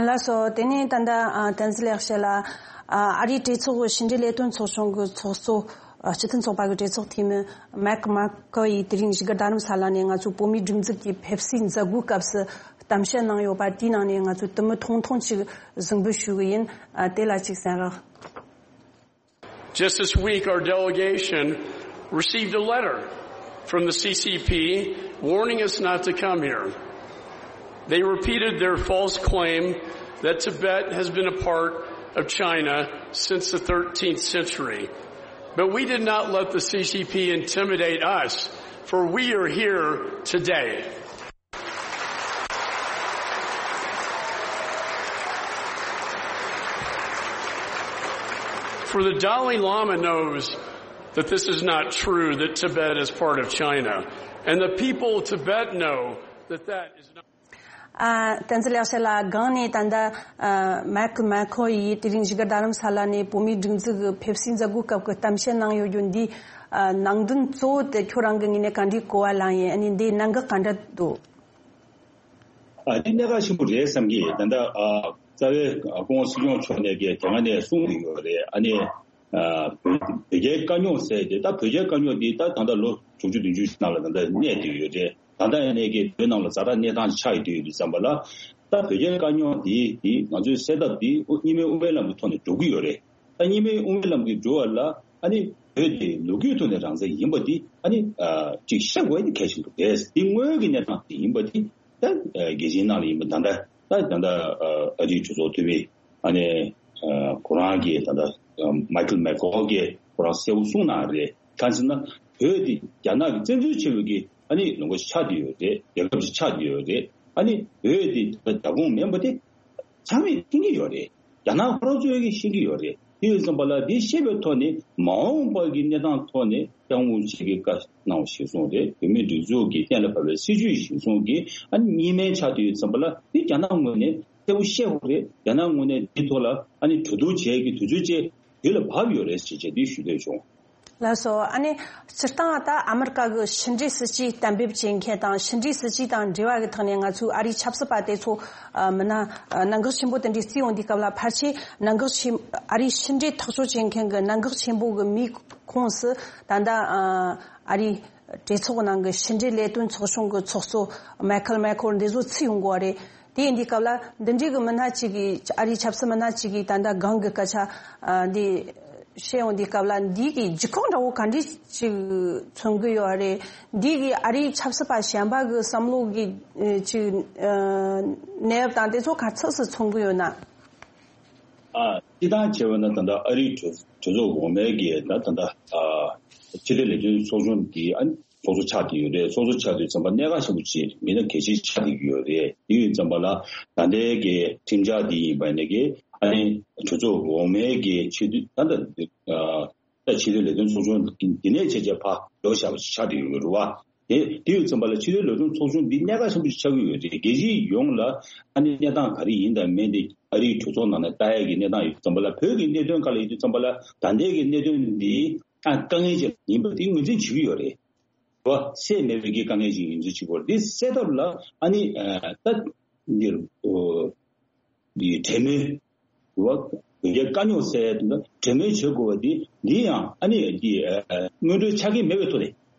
ལགས་སོ། དེ་ནས་ད་ལྟ་ཨ་བསྟན་འཛིན་ལེགས་བཤད་ལགས། ཨ་ཨ་རིའི་གྲོས་ཚོགས་ཕྱི་འབྲེལ་ལས་དོན་ཚོགས་ཆུང་གི་ཚོགས་གཙོ་ཨ་སྤྱི་མཐུན་ཚོགས་པ་གི་གྲོས་ཚོགས་འཐུས་མི་མེག་མེག་ཁོ་ཡིས་དེ་རིང་བཞུགས་སྒར་རྡ་རམ་ས་ལ་ནས་ང་ཚོའི་བོད་མིའི་སྒྲིག་འཛུགས་ཀྱི་ཕེབས་བསུའི་མཛད་སྒོའི་སྐབས་སུ་གཏམ་བཤད་གནང་ཡོད་པ་དེའི་ནང་ནས་ང་ཚོས་དུམ་བུ་ཐུང་ཐུང་ཅིག་གཟིགས་འབུལ་ཞུ་གི་ཡིན། ཨ་དེ་ལ་ཅིག་གསན་རོགས། Just this week, our delegation received a letter from the C C P warning us not to come here. They repeated their false claim that Tibet has been a part of China since the thirteenth century. But we did not let the C C P intimidate us, for we are here today. For the Dalai Lama knows that this is not true, that Tibet is part of China. And the people of Tibet know that that is not. ཨ་བསྟན་འཛིན་ལེགས་བཤད་ལགས། སྒང་ནས་ད་ལྟ་ཨ་མེག་མེག་ཁོ་ཡིས་དེ་རིང་བཞུགས་སྒར་རྡ་རམ་ས་ལ་ནས་བོད་མིའི་སྒྲིག་འཛུགས་ཀྱི་ཕེབས་བསུའི་མཛད་སྒོའི་སྐབས་ཀྱི་གཏམ་བཤད་གནང་ཡོད་རྒྱུ་འདི་ཨ་ནང་དོན་གཙོ་བོ་དེ་ཁྱོད་རང་གི་ངོས་ནས་ག་འདྲའི་གོ་བ་ལངས་ཡིན། ཨ་ནི་འདིའི་གནད་འགག་ག་འདྲ་འདུག་ཨ་དེ་གནད་འགག་ཆེན་པོ་རེད་བསམ་གྱི། ད་ལྟ་ཨ་རྩ་བའི་སྐུ་ངོ་སྲིད་སྐྱོང་མཆོག་ནས་ཀྱི་དེ་སྔ་ནས་གསུངས་ཡོད་རེད། ཨ་ནི་ཨ་བོད་བོད་རྒྱའི་དཀའ་རྙོག་ཟེར་ཏེ། ད་བོད་རྒྱའི་དཀའ་རྙོག་འདི་ད་ད་ལྟ་ལོ་དྲུག་ཅུ་བདུན་ཅུ་ནང་ལ་ད་ལྟ་གནས་བསྡད་ཡོད་རེད། ད་ལྟ་ཡིན་ནའི་གི་བོད་ནང་ལ་ཛ་དྲག་གནས་སྟངས་ཆགས་ཡོད་དུས་ཡོད་དུས་ཙམ་པ་ལ། ད་བོད་རྒྱའི་དཀའ་རྙོག་འདི་འདི་ང་ཚོའི་སེལ་ཐབས་འདི་ཨོ་གཉིས་སྨན་དབུ་མའི་ལམ་གྱི་ཐོག་ནས་འགྲོ་གི་ཡོད་རེད། ད་གཉིས་སྨན་དབུ་མའི་ལམ་གྱི་འགྲོ་བ་ལ་ཨ་ནི་བོད་དེ་ལོ་རྒྱུས་ཐོག་ནས་རང་བཙན་ཡིན་པ་འདི་ཨ་ནི་ཨ་ཅིག་ཤེས་དགོས་ཡ་འདི་གལ་ཆེན་པོ་རེད། འདི་དངོས་ཀྱི་གནས་སྟངས་འདི་ཡིན་པ་འདི་ད་ཨ་རྒྱལ་སྤྱིའི་ནང་ལ་ཡིན་པ་ད་ལྟ་ད་ད་ལྟ་ཨ་ཨ་རིའི་གྲོས་ཚོགས་འཐུས་མི་ཨ་ནི་ཨ་ཁོ་རང་གིས་ད་ལྟ་ཨ་མའི་ཁལ་མེག་ཁོལ་གྱིས་ཁོ་རང་གསལ་པོ་གསུངས་གནང་རེད། གང་ཟེར་ན་བོད་འདི་རྒྱ་ནག་གི་བཙན་འཛུལ་བྱས་པའི་གི་ཨ་ནི་ལུང་པ་ཆགས་བསྡད་ཡོད་རེད། རྒྱལ་ཁབ་ཅིག་ཆགས་བསྡད་ཡོད་རེད། ཨ་ནི་བོད་དེ་རྒྱ་ཁོངས་མིན་པ་དེ་ཚང་མས་མཁྱེན་གྱི་ཡོད་རེད། རྒྱ་ནག་ཁོ་རང་ཚོས་ཀྱི་ཤེས་ཀྱི་ཡོད་རེད། དེ་ཡོད་ཙམ་པ་ལ་དེ་ཤེས་པའི་ཐོག་ནས་མ་འོངས་པ་གི་གནས་སྟངས་ཐོག་ནས་ཀྲང་ཝུན་ཆི་གི་བཀའ་གནང་བ་གཞིར་བཟུང་རེད། བོད་མིའི་སྒྲིག་འཛུགས་ཀྱི་གཏན་ལ་ཕབ་པའི་སྲིད་བྱུས་གཞིར་བཟུང་གི་ཨ་ནི་གཉིས་སྨན་ཆགས་བསྡད་ཡོད་ཙམ་པ་ལ་དེ་རྒྱ་ནག་ངོས་ནས་གསལ་པོ་ཤེས་དགོས་རེད། རྒྱ་ནག་ངོས་ནས་དེ་ཐོག་ལ་ཨ་ནི་གྲོས་བསྡུར་བྱེད་ཀྱི་དུས་ཚོད་བཅས་དུས་ལ་བབ་ཡོད་རེད་ཅེས་བྱས་དེ་ཞུ་འདོད་བྱུང་། ལགས་སོ། ཨ་ནི་སྤྱིར་བཏང་ད་ཨ་མི་རི་ཀ་གི་ཕྱི་འབྲེལ་སྲིད་ཇུས་གཏན་འབེབས་བྱེད་མཁན་དང་ཕྱི་འབྲེལ་སྲིད་ཇུས་དང་འབྲེལ་བ་གི་ཐོག་ནས་ང་ཚོའི་ཨ་རིའི་ཆབ་སྲིད་པ་དེ་ཚོ་ཨ་མི་སྣ་ཨ་གནད་འགག་ཆེན་པོ་དེ་འདྲའི་བརྩིས་ཡོང་དུས་སྐབས་ལ་ཕལ་ཆེར་གནད་འགག་ཆེན་ཨ་རིའི་ཕྱི་འབྲེལ་ཐག་གཅོད་བྱེད་མཁན་གི་གནད་འགག་ཆེན་པོ་གི་མིའི་ཁོངས་སུ་ད་ལྟ་ཨ་ཨ་རིའི་གྲོས་ཚོགས་ནང་གི་ཕྱི་འབྲེལ་ལས་དོན་ཚོགས་ཆུང་གི་ཚོགས་གཙོ་མའི་ཁལ་མེག་ཁོལ་འདི་ཚོ་ཚུད་ཡོང་གི་ཡོད་རེད། དེ་ཡིན་དུས་སྐབས་ལ་འདི་འདྲའི་གི་མི་སྣ་གཅིག་གིས་ཨ་རིའི་ཆབ་སྲིད་མི་སྣ་གཅིག་གིས་ད་ལྟ་སྒང་གི་སྐད་ཆ་ཨ་འདི་བཤད་ཡོང་དུས་སྐབས་ལ་འདི་གི་ལྗིད་ཁོག་འདྲ་བོ་ག་འདྲ་ཅིག་མཚོན་གི་ཡོད་རེད། འདི་གི་ཨ་རིའི་ཆབ་སྲིད་པ་གཞན་པ་གི་བསམ་བློ་གི་ཨ་ཅིག་ཨ་གནས་བབ་དང་དེ་ཚོ་ག་ཚོད་སུ་མཚོན་གི་ཡོད་ན། ཨ་སྤྱིར་བཏང་བྱས་པ་ན་ད་ལྟ་ཨ་རིའི་གྲོས་གྲོས་ཚོགས་འོག་མའི་གི་ད་ད་ལྟ་ཨ་ཕྱི་དྲིལ་ལས་དོན་ཚོགས་ཆུང་གི་ཨ་ཚོགས་གཙོ་ཆགས་བསྡད་ཡོད་རེད། ཚོགས་གཙོ་ཆགས་དུས་ཙམ་པ་གནད་འགག་ཆེན་པོ་ཅིག་མི་སྣ་གལ་ཆེ་ཆགས་བསྡད་ཀྱི་ཡོད་རེད། དེ་ཡོད་ཙམ་པ་ལ་ད་ལྟའི་གི་ཁྲིམས་འཆར་འདི་ཡིན་པ་ནས་གི་ཨ་ནི་གྲོས་ཚོགས་འོག་མའི་གི་ཆེས་མཐོའི་ད་ལྟ་ཨ་ད་ཕྱི་དྲིལ་ལས་དོན་ཚོགས་ཆུང་འདི་ནས་བྱས་རྗེས་ཕར་ལོག་བཞག་པ་ཞིག་ཆགས་བསྡད་ཡོད་རེད་བ། དེ་དེ་ཡོད་ཙམ་པ་ལ་ཕྱི་དྲིལ་ལས་དོན་ཚོགས་ཆུང་འདི་གནད་འགག་ཆེན་པོ་ཞིག་ཆགས་ཀྱི་ཡོད་རེད། རྒྱལ་སྤྱི་ཡོངས་ལ་ཨ་ནི་གནས་སྟངས་ག་རེ་ཡིན་དང་མིན་དེ་ཨ་རིའི་གྲོས་ཚོགས་ནང་ནས་ལྟ་ཡ་གི་གནས་སྟངས་ཡོད་ཙམ་པ་ལ་བོད་ཀྱི་གནད་དོན་སྒང་ལ་ཡིན་དུས་ཙམ་པ་ལ་ད་ལྟའི་གི་གནད་དོན་འདི་ཨ་དཀའ་ངལ་ཅིག་ཡིན་པ་དེ་ངོས་འཛིན་བྱེད་ཀྱི་ཡོད་རེད། བ་སེལ་མེད་པའི་གི་དཀའ་ངལ་ཅིག་ཡིན་ཚུལ་གཅིག་པོ་རེད། འདི་སེལ་ཐབས་ལ་ཨ་ནི་ཨ་ད་འདིར་འདི་གྲོས་མོལ་བ་བོད་རྒྱའི་དཀའ་རྙོག་སེལ་ཡ་དེ་འདྲ་གྲོས་མོལ་བྱེད་དགོས་པ་འདི་འདི་ཡང་ཨ་ནི་འདི་ཨ་སྔོན་འགྲོའི་ཆ་རྐྱེན་མེད་པའི་ཐོག་ནས་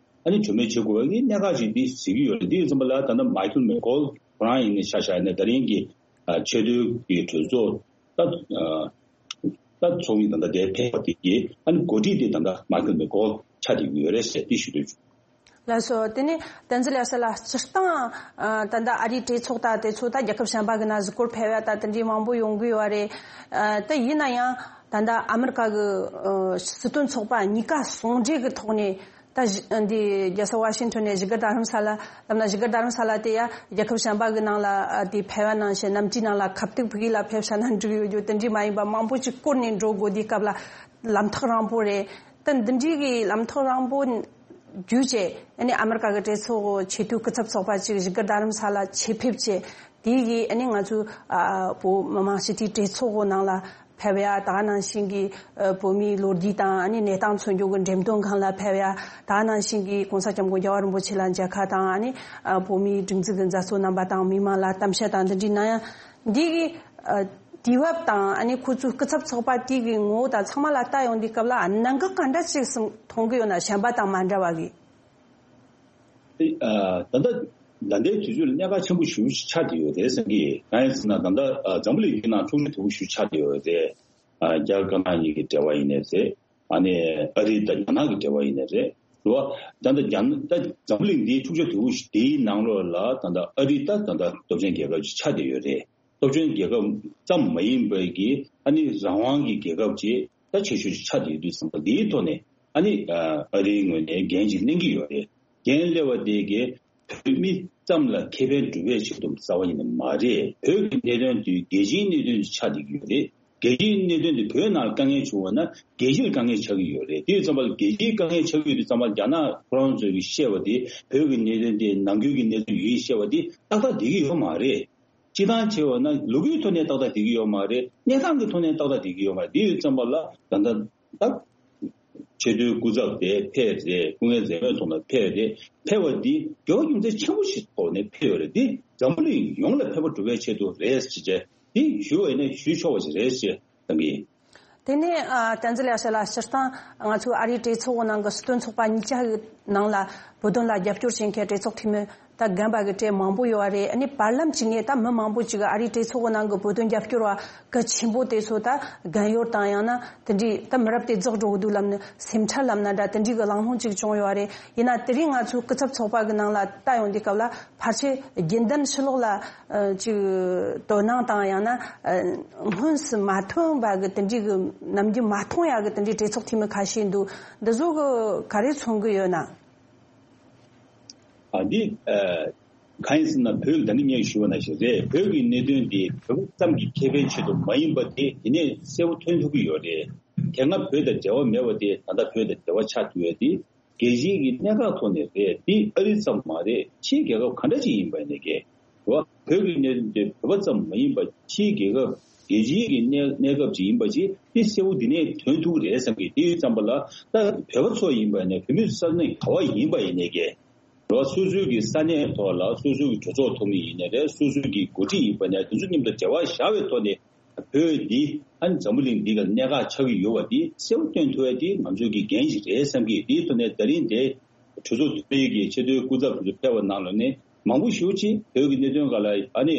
ཨ་ནི་གྲོས་མོལ་བྱེད་དགོས་པ་གི་གནད་འགག་ཅིག་འདི་གཟིགས་ཀྱི་ཡོད་རེད། འདི་ཡིན་ཙམ་པ་ལ་ད་ལྟ་མའི་ཁལ་མེག་ཁོལ་ཁོ་རང་ཡིན་ནའི་ཤ་ཤ་ནས་ད་རིང་གི་ཨ་ཆེས་མཐོའི་གི་གྲོས་ཚོགས་ད་ཨ་ད་ཚོགས་མི་ད་ལྟ་དེ་ཕེབས་པ་དེ་གི་ཨ་ནི་འགོ་ཁྲིད་དེ་ད་ལྟ་མའི་ཁལ་མེག་ཁོལ་ཆགས་བསྡད་ཀྱི་ཡོད་རེད་ཟེར་འདི་ཞུ་འདོད་བྱུང་། ལགས་སོ། དེ་ནས་བསྟན་འཛིན་ལེགས་བཤད་ལགས། སྤྱིར་བཏང་ཨ་ད་ལྟ་ཨ་རིའི་གྲོས་ཚོགས་ད་དེ་ཚོ་ད་རྒྱལ་ཁབ་གཞན་པ་གི་ནང་གཟིགས་སྐོར་ཕེབས་ཡ་ད་དེ་འདྲའི་མང་པོ་ཡོང་གི་ཡོད་རེད། ཨ་ད་ཡིན་ན་ཡང་ ད་ལྟ་ཨ་མི་རི་ཀ་གི་ཨ་སྲིད་དོན་ཚོགས་པ་གཉིས་ཀ་ཟུང་འབྲེལ་གྱི་ཐོག་ནས། ད་གཞི་འདི་རྒྱལ་ས་ཝ་ཤིང་ཊོན་ནས་བཞུགས་སྒར་རྡ་རམ་ས་ལ། ལབ་ན་བཞུགས་སྒར་རྡ་རམ་ས་ལ་དེ་ཡ་རྒྱལ་ཁབ་གཞན་པ་གི་ནང་ལ་ཨ་དེ་ཕེབས་པ་ནང་བཞིན། གནམ་གྲུའི་ནང་ལ་ཁ་གཏུག་ཕུག་གི་ལ་ཕེབས་ས་ན་འགྲིག་ཡོད་རྒྱུ་དེ་འདྲ་མ་ཡིན་པ། མང་པོ་ཅིག་བསྐོར་ནས་འགྲོ་དགོས་དུས་སྐབས་ལ་ལམ་ཐག་རིང་པོ་རེད། ད་འདི་འདྲའི་གི་ལམ་ཐག་རིང་པོ་བརྒྱུད་བྱས། ཨ་ནི་ཨ་མི་རི་ཀ་གི་གྲོས་ཚོགས་ཆེས་མཐོའི་སྐུ་ཚབ་ཚོགས་པ་ཅིག་བཞུགས་སྒར་རྡ་རམ་ས་ལ་ཆེད་ཕེབས་བྱས། དེ་གིས་ཨ་ནི་ང་ཚོའི་ཨ་བོད་མི་མང་སྤྱི་འཐུས་གྲོས་ཚོགས་ནང་ལ་ཕེབས་ཡ། ད་ག་ནང་བཞིན་གྱི་ཨ་བོད་མིའི་ལོ་རྒྱུས་དང་ཨ་ནི་གནས་སྟངས་མཚོན་རྒྱུ་གི་འགྲེམས་སྟོན་ཁང་ལ་ཕེབས་ཡ། ད་ག་ནང་བཞིན་གྱི་༸གོང་ས་༸སྐྱབས་མགོན་རྒྱལ་བ་རིན་པོ་ཆེ་ལ་མཇལ་ཁ་དང་། ཨ་ནི་ཨ་བོད་མིའི་སྒྲིག་འཛུགས་ཀྱི་མཛད་གཙོ་རྣམ་པ་དང་མི་མང་ལ་གཏམ་བཤད་དང་འདི་འདྲའི་གནང་ཡ། འདི་གི་ཨ་དུས་བབ་དང་། ཨ་ནི་ཁོ་ཚོའི་སྐུ་ཚབ་ཚོགས་པ་དེ་གི་ངོ་བོ་དང་ཚང་མ་ལ་ལྟ་ཡོང་དུས་སྐབས་ལ། ཨ་གནད་འགག་ག་འདྲ་ཅིག་སུ་མཐོང་གི་ཡོད་ན། གཞན་པ་དང་མ་འདྲ་བ་གི། ཨ་ད་ལྟ་ད་ལྟའི་དུས་ཚོད་ལ་གནད་འགག་ཆེན་པོ་ཞེ་པོ་ཅིག་ཆགས་བསྡད་ཡོད་རེད་བསམ་གི། གང་ཡིན་ཟེར་ན། ད་ལྟ་ཨ་འཛམ་བུ་གླིང་ཡིན་ན་འཁྲུག་ཆ་དོད་པོ་ཞེ་པོ་ཆགས་བསྡད་ཡོད་རེད། ཨ་རྒྱ་དཀར་ནག་གཉིས་ཀྱི་འབྲེལ་བ་ཡིན་ནའི་རེད། ཨ་ནི་ཨ་རི་དང་རྒྱ་ནག་གི་འབྲེལ་བ་ཡིན་ནའི་རེད། རེད་བ། ད་ལྟ་རྒྱ་ནག་ད་འཛམ་བུ་གླིང་འདིའི་འཁྲུག་ཆ་དོད་པོ་ཞིག་འདིའི་ནང་ལོགས་ལ་ད་ལྟ་ཨ་རི་ད་ད་ལྟ་སྟོབས་ཆེན་རྒྱལ་ཁབ་ཅིག་ཆགས་བསྡད་ཡོད་རེད། སྟོབས་ཆེན་རྒྱལ་ཁབ་ཙམ་མ་ཡིན་པའི་གི་ཨ་ནི་རང་དབང་གི་རྒྱལ་ཁབ་ཅིག་ད་ཆེ་ཤོས་ཅིག་ཆགས་བསྡད་ཡོད་དུས་ཙམ་པ། འདིའི་ཐོག་ནས་ཨ་ནི་ཨ་རིའི་ངོས་ནས་འགན་ཅིག་ལེན་གྱི་ཡོད་རེད། འགན་སླེབས་པ་དེ་གིས་བོད་མི་ཙམ་ལ་ཁེ་ཕན་སྒྲུབ་པའི་ཆེད་དུ་རྩ་བ་ཉིད་ནས་མ་རེད། བོད་ཀྱི་གནད་དོན་དེ་རྒྱལ་སྤྱིའི་གནད་དོན་ཅིག་ཆགས་བསྡད་ཀྱི་ཡོད་རེད། རྒྱལ་སྤྱིའི་གནད་དོན་དེ་བོད་ནང་ལ་དཀའ་ངལ་བྱུང་བ་ན་རྒྱལ་སྤྱིར་དཀའ་ངལ་ཆགས་ཀྱི་ཡོད་རེད། དེ་ཡིན་ཙམ་པ་ལ་རྒྱལ་སྤྱིའི་དཀའ་ངལ་ཆགས་ཀྱི་ཡོད་དུས་ཙམ་པ་ལ། རྒྱ་ནག་ཁོ་རང་ཚོས་ཀྱི་བཤད་པ་དེ་བོད་ཀྱི་གནད་དོན་དེ་ནམ་རྒྱུན་གྱི་གནད་དོན་ཡིན་བཤད་པ་དེ་ཏག་ཏག་བསྡད་ཀྱི་ཡོད་མ་རེད། སྤྱིར་བཏང་བྱས་པ་ན་ལོ་རྒྱུས་ཐོག་ནས་ཏག་ཏག་བསྡད་ཀྱི་ཡོད་མ་རེད། གནས་སྟངས་ཀྱི་ཐོག་ནས་ཏག་ཏག་བསྡད་ཀྱི་ཡོད་མ་རེད། དེ་ཡོད་ཙམ་པ་ལ་ད་ལྟ་ད་ཆེས་མཐོའི་སྐུ་ཚབ་དེ་ཕེབས་རེད། སྐུ་ངལ་འཛེམས་མེད་ཐོག་ནས་ཕེབས་རེད། ཕེབས་པ་འདི་འགྱུར་བ་རྒྱུ་མཚན་ཆེན་པོ་ཞིག་ཐོག་ནས་ཕེབས་ཡོད་རེད། འདི་འཛམ་བུ་གླིང་ཡོངས་ལ་ཕན་པ་སྒྲུབ་པའི་ཆེད་དུ་རེད་ཟེར་བྱས། འདི་ཞུ་བ་ཡིན་ན་ཞུ་ཆོག་པ་ཞིག་རེད་ཅེས་བསམ་གྱི་ཡིན། དེ་ནས་ཨ་བསྟན་འཛིན་ལེགས་བཤད་ལགས། སྤྱིར་བཏང་ང་ཚོའི་ཨ་རིའི་གྲོས་ཚོགས་ནང་གི་སྲིད་དོན་ཚོགས་པ་གཉིས་ཆ་གི་ནང་ལ་བོད་དོན་ལ་རྒྱབ་སྐྱོར་བྱེད་མཁན་གྲོས་ཚོགས་འཐུས་མི་ད་རྒན་པ་གི་གྲས་མང་པོ་ཡོད་རེད། ཨ་ནི་བར་ལམ་གཅིག་ནས་ད་མི་མང་པོ་ཅིག་ཨ་རིའི་གྲོས་ཚོགས་ནང་གི་བོད་དོན་རྒྱབ་སྐྱོར་བ་གལ་ཆེན་པོ་དེ་ཚོ་ད་རྒན་ཡོལ་དང་། ཡང་ན་དེ་འདྲའི་ད་མི་རབས་དེ་རྫོགས་འགྲོ་གི་འདུག་ལབ་ནས་སེམས་ཁྲལ་ལབ་ན་འདྲ། དེ་འདྲའི་གི་གླེང་སློང་ཅིག་བྱུང་ཡོད་རེད། ཡིན་ན་དེ་རིང་ང་ཚོའི་སྐུ་ཚབ་ཚོགས་པ་གི་ནང་ལ་ལྟ་ཡོང་དུས་སྐབས་ལ། ཕལ་ཆེར་རྒྱུན་ལྡན་ཕྱི་ལོགས་ལ་ཨ་ཅིག་དོ་སྣང་དང་། ཡང་ན་ཨ་སྔོན་སུ་མ་ཐོན་པ་གི་དེ་འདྲའི་གི་ནམ་རྒྱུན་མ་མཐོང་ཡ་གི་དེ་འདྲའི་གྲོས་ཚོགས་འཐུས་མི་ཁ་ཤས་འདུག། འདི་ཚོ་གི་ག་རེ་མཚོན་གི་ཡོད་ན། ཨ་འདི་ཨ་གང་ཡིན་ཟེར་ན། བོད་ད་ནི་ངས་ཞུས་པ་ནང་བཞིན་རེད། བོད་ཀྱི་གནད་དོན་དེ་བོད་པ་ཙམ་གྱི་ཁེ་ཕན་ཆེད་དུ་མ་ཡིན་པ་དེ་དེ་ནས་གསལ་པོ་ཐོན་ཐུབ་ཀྱི་ཡོད་རེད། དེ་སྔ་བོད་དང་འབྲེལ་བ་མེད་པ་དེ་ད་ལྟ་བོད་དང་འབྲེལ་བ་ཆགས་ཐུབ་ཡ་དེ། རྒྱལ་སྤྱིའི་གི་གནད་འགག་ཐོག་ནས་རེད། འདི་ཨ་རི་ཙམ་མ་རེད། ཕྱིའི་རྒྱལ་ཁབ་ག་འདྲ་ཅིག་ཡིན་པ་ཡིན་ནའི་གི། བོད་ཀྱི་གནད་དོན་དེ་བོད་པ་ཙམ་མ་ཡིན་པ། ཕྱིའི་རྒྱལ་ཁབ་རྒྱལ་སྤྱིའི་གི་གནས་གནས་སྐབས་ཅིག་ཡིན་པ་ཅིག། འདི་གསལ་པོ་འདི་ནས་ཐོན་ཐུབ་ཀྱི་རེད་བསམ་གི། དེ་ཡོད་ཙམ་པ་ལ་ད་བོད་པ་ཚོ་ཡིན་པ་ཡིན་ནའི། བོད་མི་ས་གནས་ག་བ་ཡིན་པ་ཡིན་ནའི་གི། རེད་བ། སོ་སོའི་གི་ས་གནས་ཐོག་ལ་སོ་སོའི་གི་གྲོས་ཚོགས་འཐུས་མི་ཡིན་ནའི་རེད། སོ་སོའི་གི་འགོ་ཁྲིད་ཡིན་པ་ཡིན་ནའི། དེ་ཚོ་མཉམ་དུ་འབྲེལ་བ་བཞག་པའི་ཐོག་ནས། བོད་འདི་ཨ་ནི་འཛམ་བུ་གླིང་འདི་ག་གནད་འགག་ཆགས་ཀྱི་ཡོད་པ་འདི་གསལ་པོ་སྟོན་ཐུབ་ཡ་དེ་ང་ཚོའི་གི་འགན་ཞིག་རེད་བསམ་གི། དེའི་ཐོག་ནས་ད་རིང་དེ་གྲོས་ཚོགས་འཐུས་མིའི་གི་ཆེས་མཐོའི་སྐུ་ཚབ་དེ་ཚོ་ཕེབས་པ་ནང་ལོགས་ནས་མང་པོ་ཞེ་པོ་ཅིག་བོད་ཀྱི་གནད་དོན་སྒང་ལ་ཨ་ནི་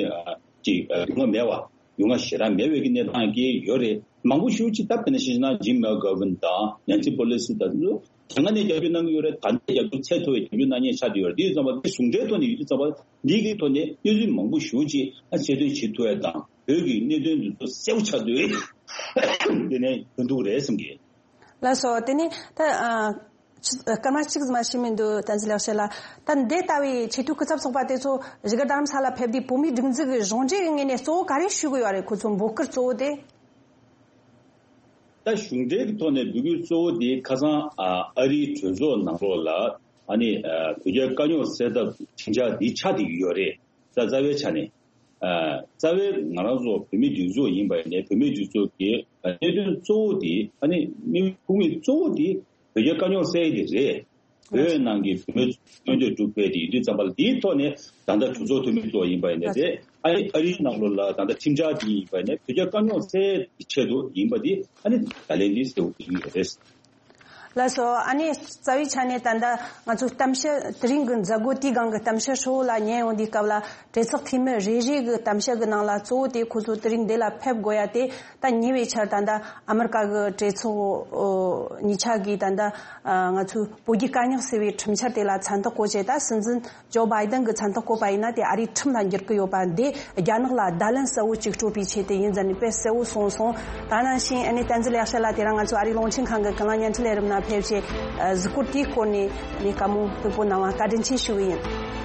ཅིག་ཡོང་ང་མེད་པ། ཡོང་ང་ཞེ་དྲག་མེད་པའི་གི་གནས་སྟངས་ཀྱི་ཡོད་རེད། མང་པོ་ཞེ་པོ་ཅིག་ད་དཔེར་ན་བཤད་ན་Jim McGovern དང་Nancy Pelosi དང་དེ་ཚོ་དེ་སྔ་ནས་རྒྱབ་སྐྱོར་གནང་གི་ཡོད་རེད། ད་ལྟ་རྒྱབ་སྐྱོར་ཚད་མཐོ་བའི་རྒྱབ་སྐྱོར་གནང་མཁན་ཆགས་བསྡད་ཡོད་རེད། དེ་ཡོད་ཙམ་པ་དེ་ཟུང་འབྲེལ་ཐོག་ནས་ཡོད་དུས་ཙམ་པ་འདི་གི་ཐོག་ནས་གནས་ཚུལ་མང་པོ་ཞེ་པོ་ཅིག་ཨ་གསལ་སྟོན་བྱེད་ཐུབ་ཡ་དང་། བོད་ཀྱི་གནད་དོན་འདི་ཚོ་གསལ་པོ་ཆགས་དུས་དེ་ནས་ཐོན་ཐུབ་རེད་བསམ་གི། ལགས་སོ། དེ་ནས་ད་ཨ་ཅི་སྐར་མ་གཅིག་ཙམ་མ་ཞིག་མི་འདུག། བསྟན་འཛིན་ལེགས་བཤད་ལགས། ད་འདི་ལྟ་བུའི་ཆེས་མཐོའི་སྐུ་ཚབ་ཚོགས་པ་དེ་ཚོ་བཞུགས་སྒར་རྡ་རམ་ས་ལ་ཕེབས་དུས་བོད་མིའི་སྒྲིག་འཛུགས་ཀྱི་གཞུང་འབྲེལ་གྱི་ངོས་ནས་གཙོ་བོ་ག་རེ་ཞུ་དགོས་ཡོད་རེད། ཁོ་ཚོ་འབོད་སྐུལ་གཙོ་བོ་དེ། ད་གཞུང་འབྲེལ་གྱི་ཐོག་ནས་འབོད་སྐུལ་གཙོ་བོ་དེ་ཁ་སང་ཨ་ཨ་རིའི་གྲོས་ཚོགས་ནང་ལོགས་ལ་ཨ་ནི་ཨ་བོད་རྒྱའི་དཀའ་རྙོག་སེལ་ཐབས་ཁྲིམས་འཆར་འདི་ཆགས་བསྡད་ཀྱི་ཡོད་རེད། རྩ་རྩ་བའི་ཆ་ནས། ཨ་རྩ་བའི་ང་རང་ཚོ་བོད་མིའི་སྒྲིག་འཛུགས་ཡིན་པ་ཡིན་ནའི། བོད་མིའི་སྒྲིག་འཛུགས་ཀྱི་གནད་དོན་གཙོ་བོ་དེ། ཨ་ནི་དམིགས་ཡུལ་དམིགས་ཡུལ་གཙོ་བོ་དེ་བོད་རྒྱའི་དཀའ་རྙོག་སེལ་ཡས་དེ་རེད། བོད་ནང་གི་བོད་མི་མངོན་འདོད་སྒྲུབ་པའི་དེ་ཡིན་དུས་ཙམ་པ་ལ། དེའི་ཐོག་ནས་ད་ལྟ་གྲོས་ཚོགས་འཐུས་མི་ཚོ་ཡིན་པ་ཡིན་ནའི་རེད། ཨ་ནི་ཨ་རིའི་ནང་ལོགས་ལ་ད་ལྟ་ཁྲིམས་འཆར་དེ་ཡིན་པ་ཡིན་ནའི། བོད་རྒྱའི་དཀའ་རྙོག་སེལ་ཡས་ཀྱི་ཆེད་དུ་ཡིན་པ་དེ། ཨ་ནི་ད་ལན་འདི་གསལ་པོ་བསྡད་ཀྱི་ཡོད་རེད། ལགས་སོ། ཨ་ནི་རྩ་བའི་ཆ་ནས་ད་ལྟ་ང་ཚོ་གཏམ་བཤད་དེ་རིང་གི་མཛད་སྒོ་དེའི་སྒང་གི་གཏམ་བཤད་ཧྲིལ་བོ་ལ་ཉན་ཡོང་དུས་སྐབས་ལ། གྲོས་ཚོགས་འཐུས་མི་རེ་རེ་གི་གཏམ་བཤད་གི་ནང་ལ་གཙོ་བོ་དེ་ཁོ་ཚོ་དེ་རིང་འདི་ལ་ཕེབས་དགོས་ཡ་དེ། ད་ཉེ་བའི་ཆར་ད་ལྟ་ཨ་མི་རི་ཀ་གི་གྲོས་ཚོགས་ཨོ་གཉིས་ཆ་གིས་ད་ལྟ་ཨ་ང་ཚོའི་བོད་རྒྱའི་དཀའ་རྙོག་སེལ་བའི་ཁྲིམས་འཆར་དེ་ལ་མཚན་རྟགས་བཀོད་བྱས། ད་སྲིད་འཛིན་ཇོ་བྷའི་ཌེན་གྱི་མཚན་རྟགས་བཀོད་པ་ཡིན་ན་དེ་ཨ་རིའི་ཁྲིམས་ལ་འགྱུར་གི་ཡོད་པ་འདི་རྒྱ་ནག་ལ་བརྡ་ལན་གསལ་བོ་ཅིག་སྤྲོད་པའི་ཆེད་དུ་ཡིན་ཟེར་ནས་དཔེ་གསལ་བོ་གསུངས་སོང་། ད་ནང་བཞིན་ཨ་ནི་བསྟན་འཛིན་ལེགས་བཤད་ལགས་དེ་རིང་ང་ཚོ་ཨ་རིའི་རླུང་འཕྲིན་ཁང་གི་ཀུན་གླེང་བརྙན་འཕྲིན་ལས་རིམ་ནང་ཕེབས་བྱས། ཨ་གཟིགས་སྐོར་དེའི་སྐོར་ནས་ཨ་ནི་བཀའ་མོལ་ཕུལ་པོ་གནང་བ་བཀའ་དྲིན་ཆེ་ཞུ་གི་ཡིན།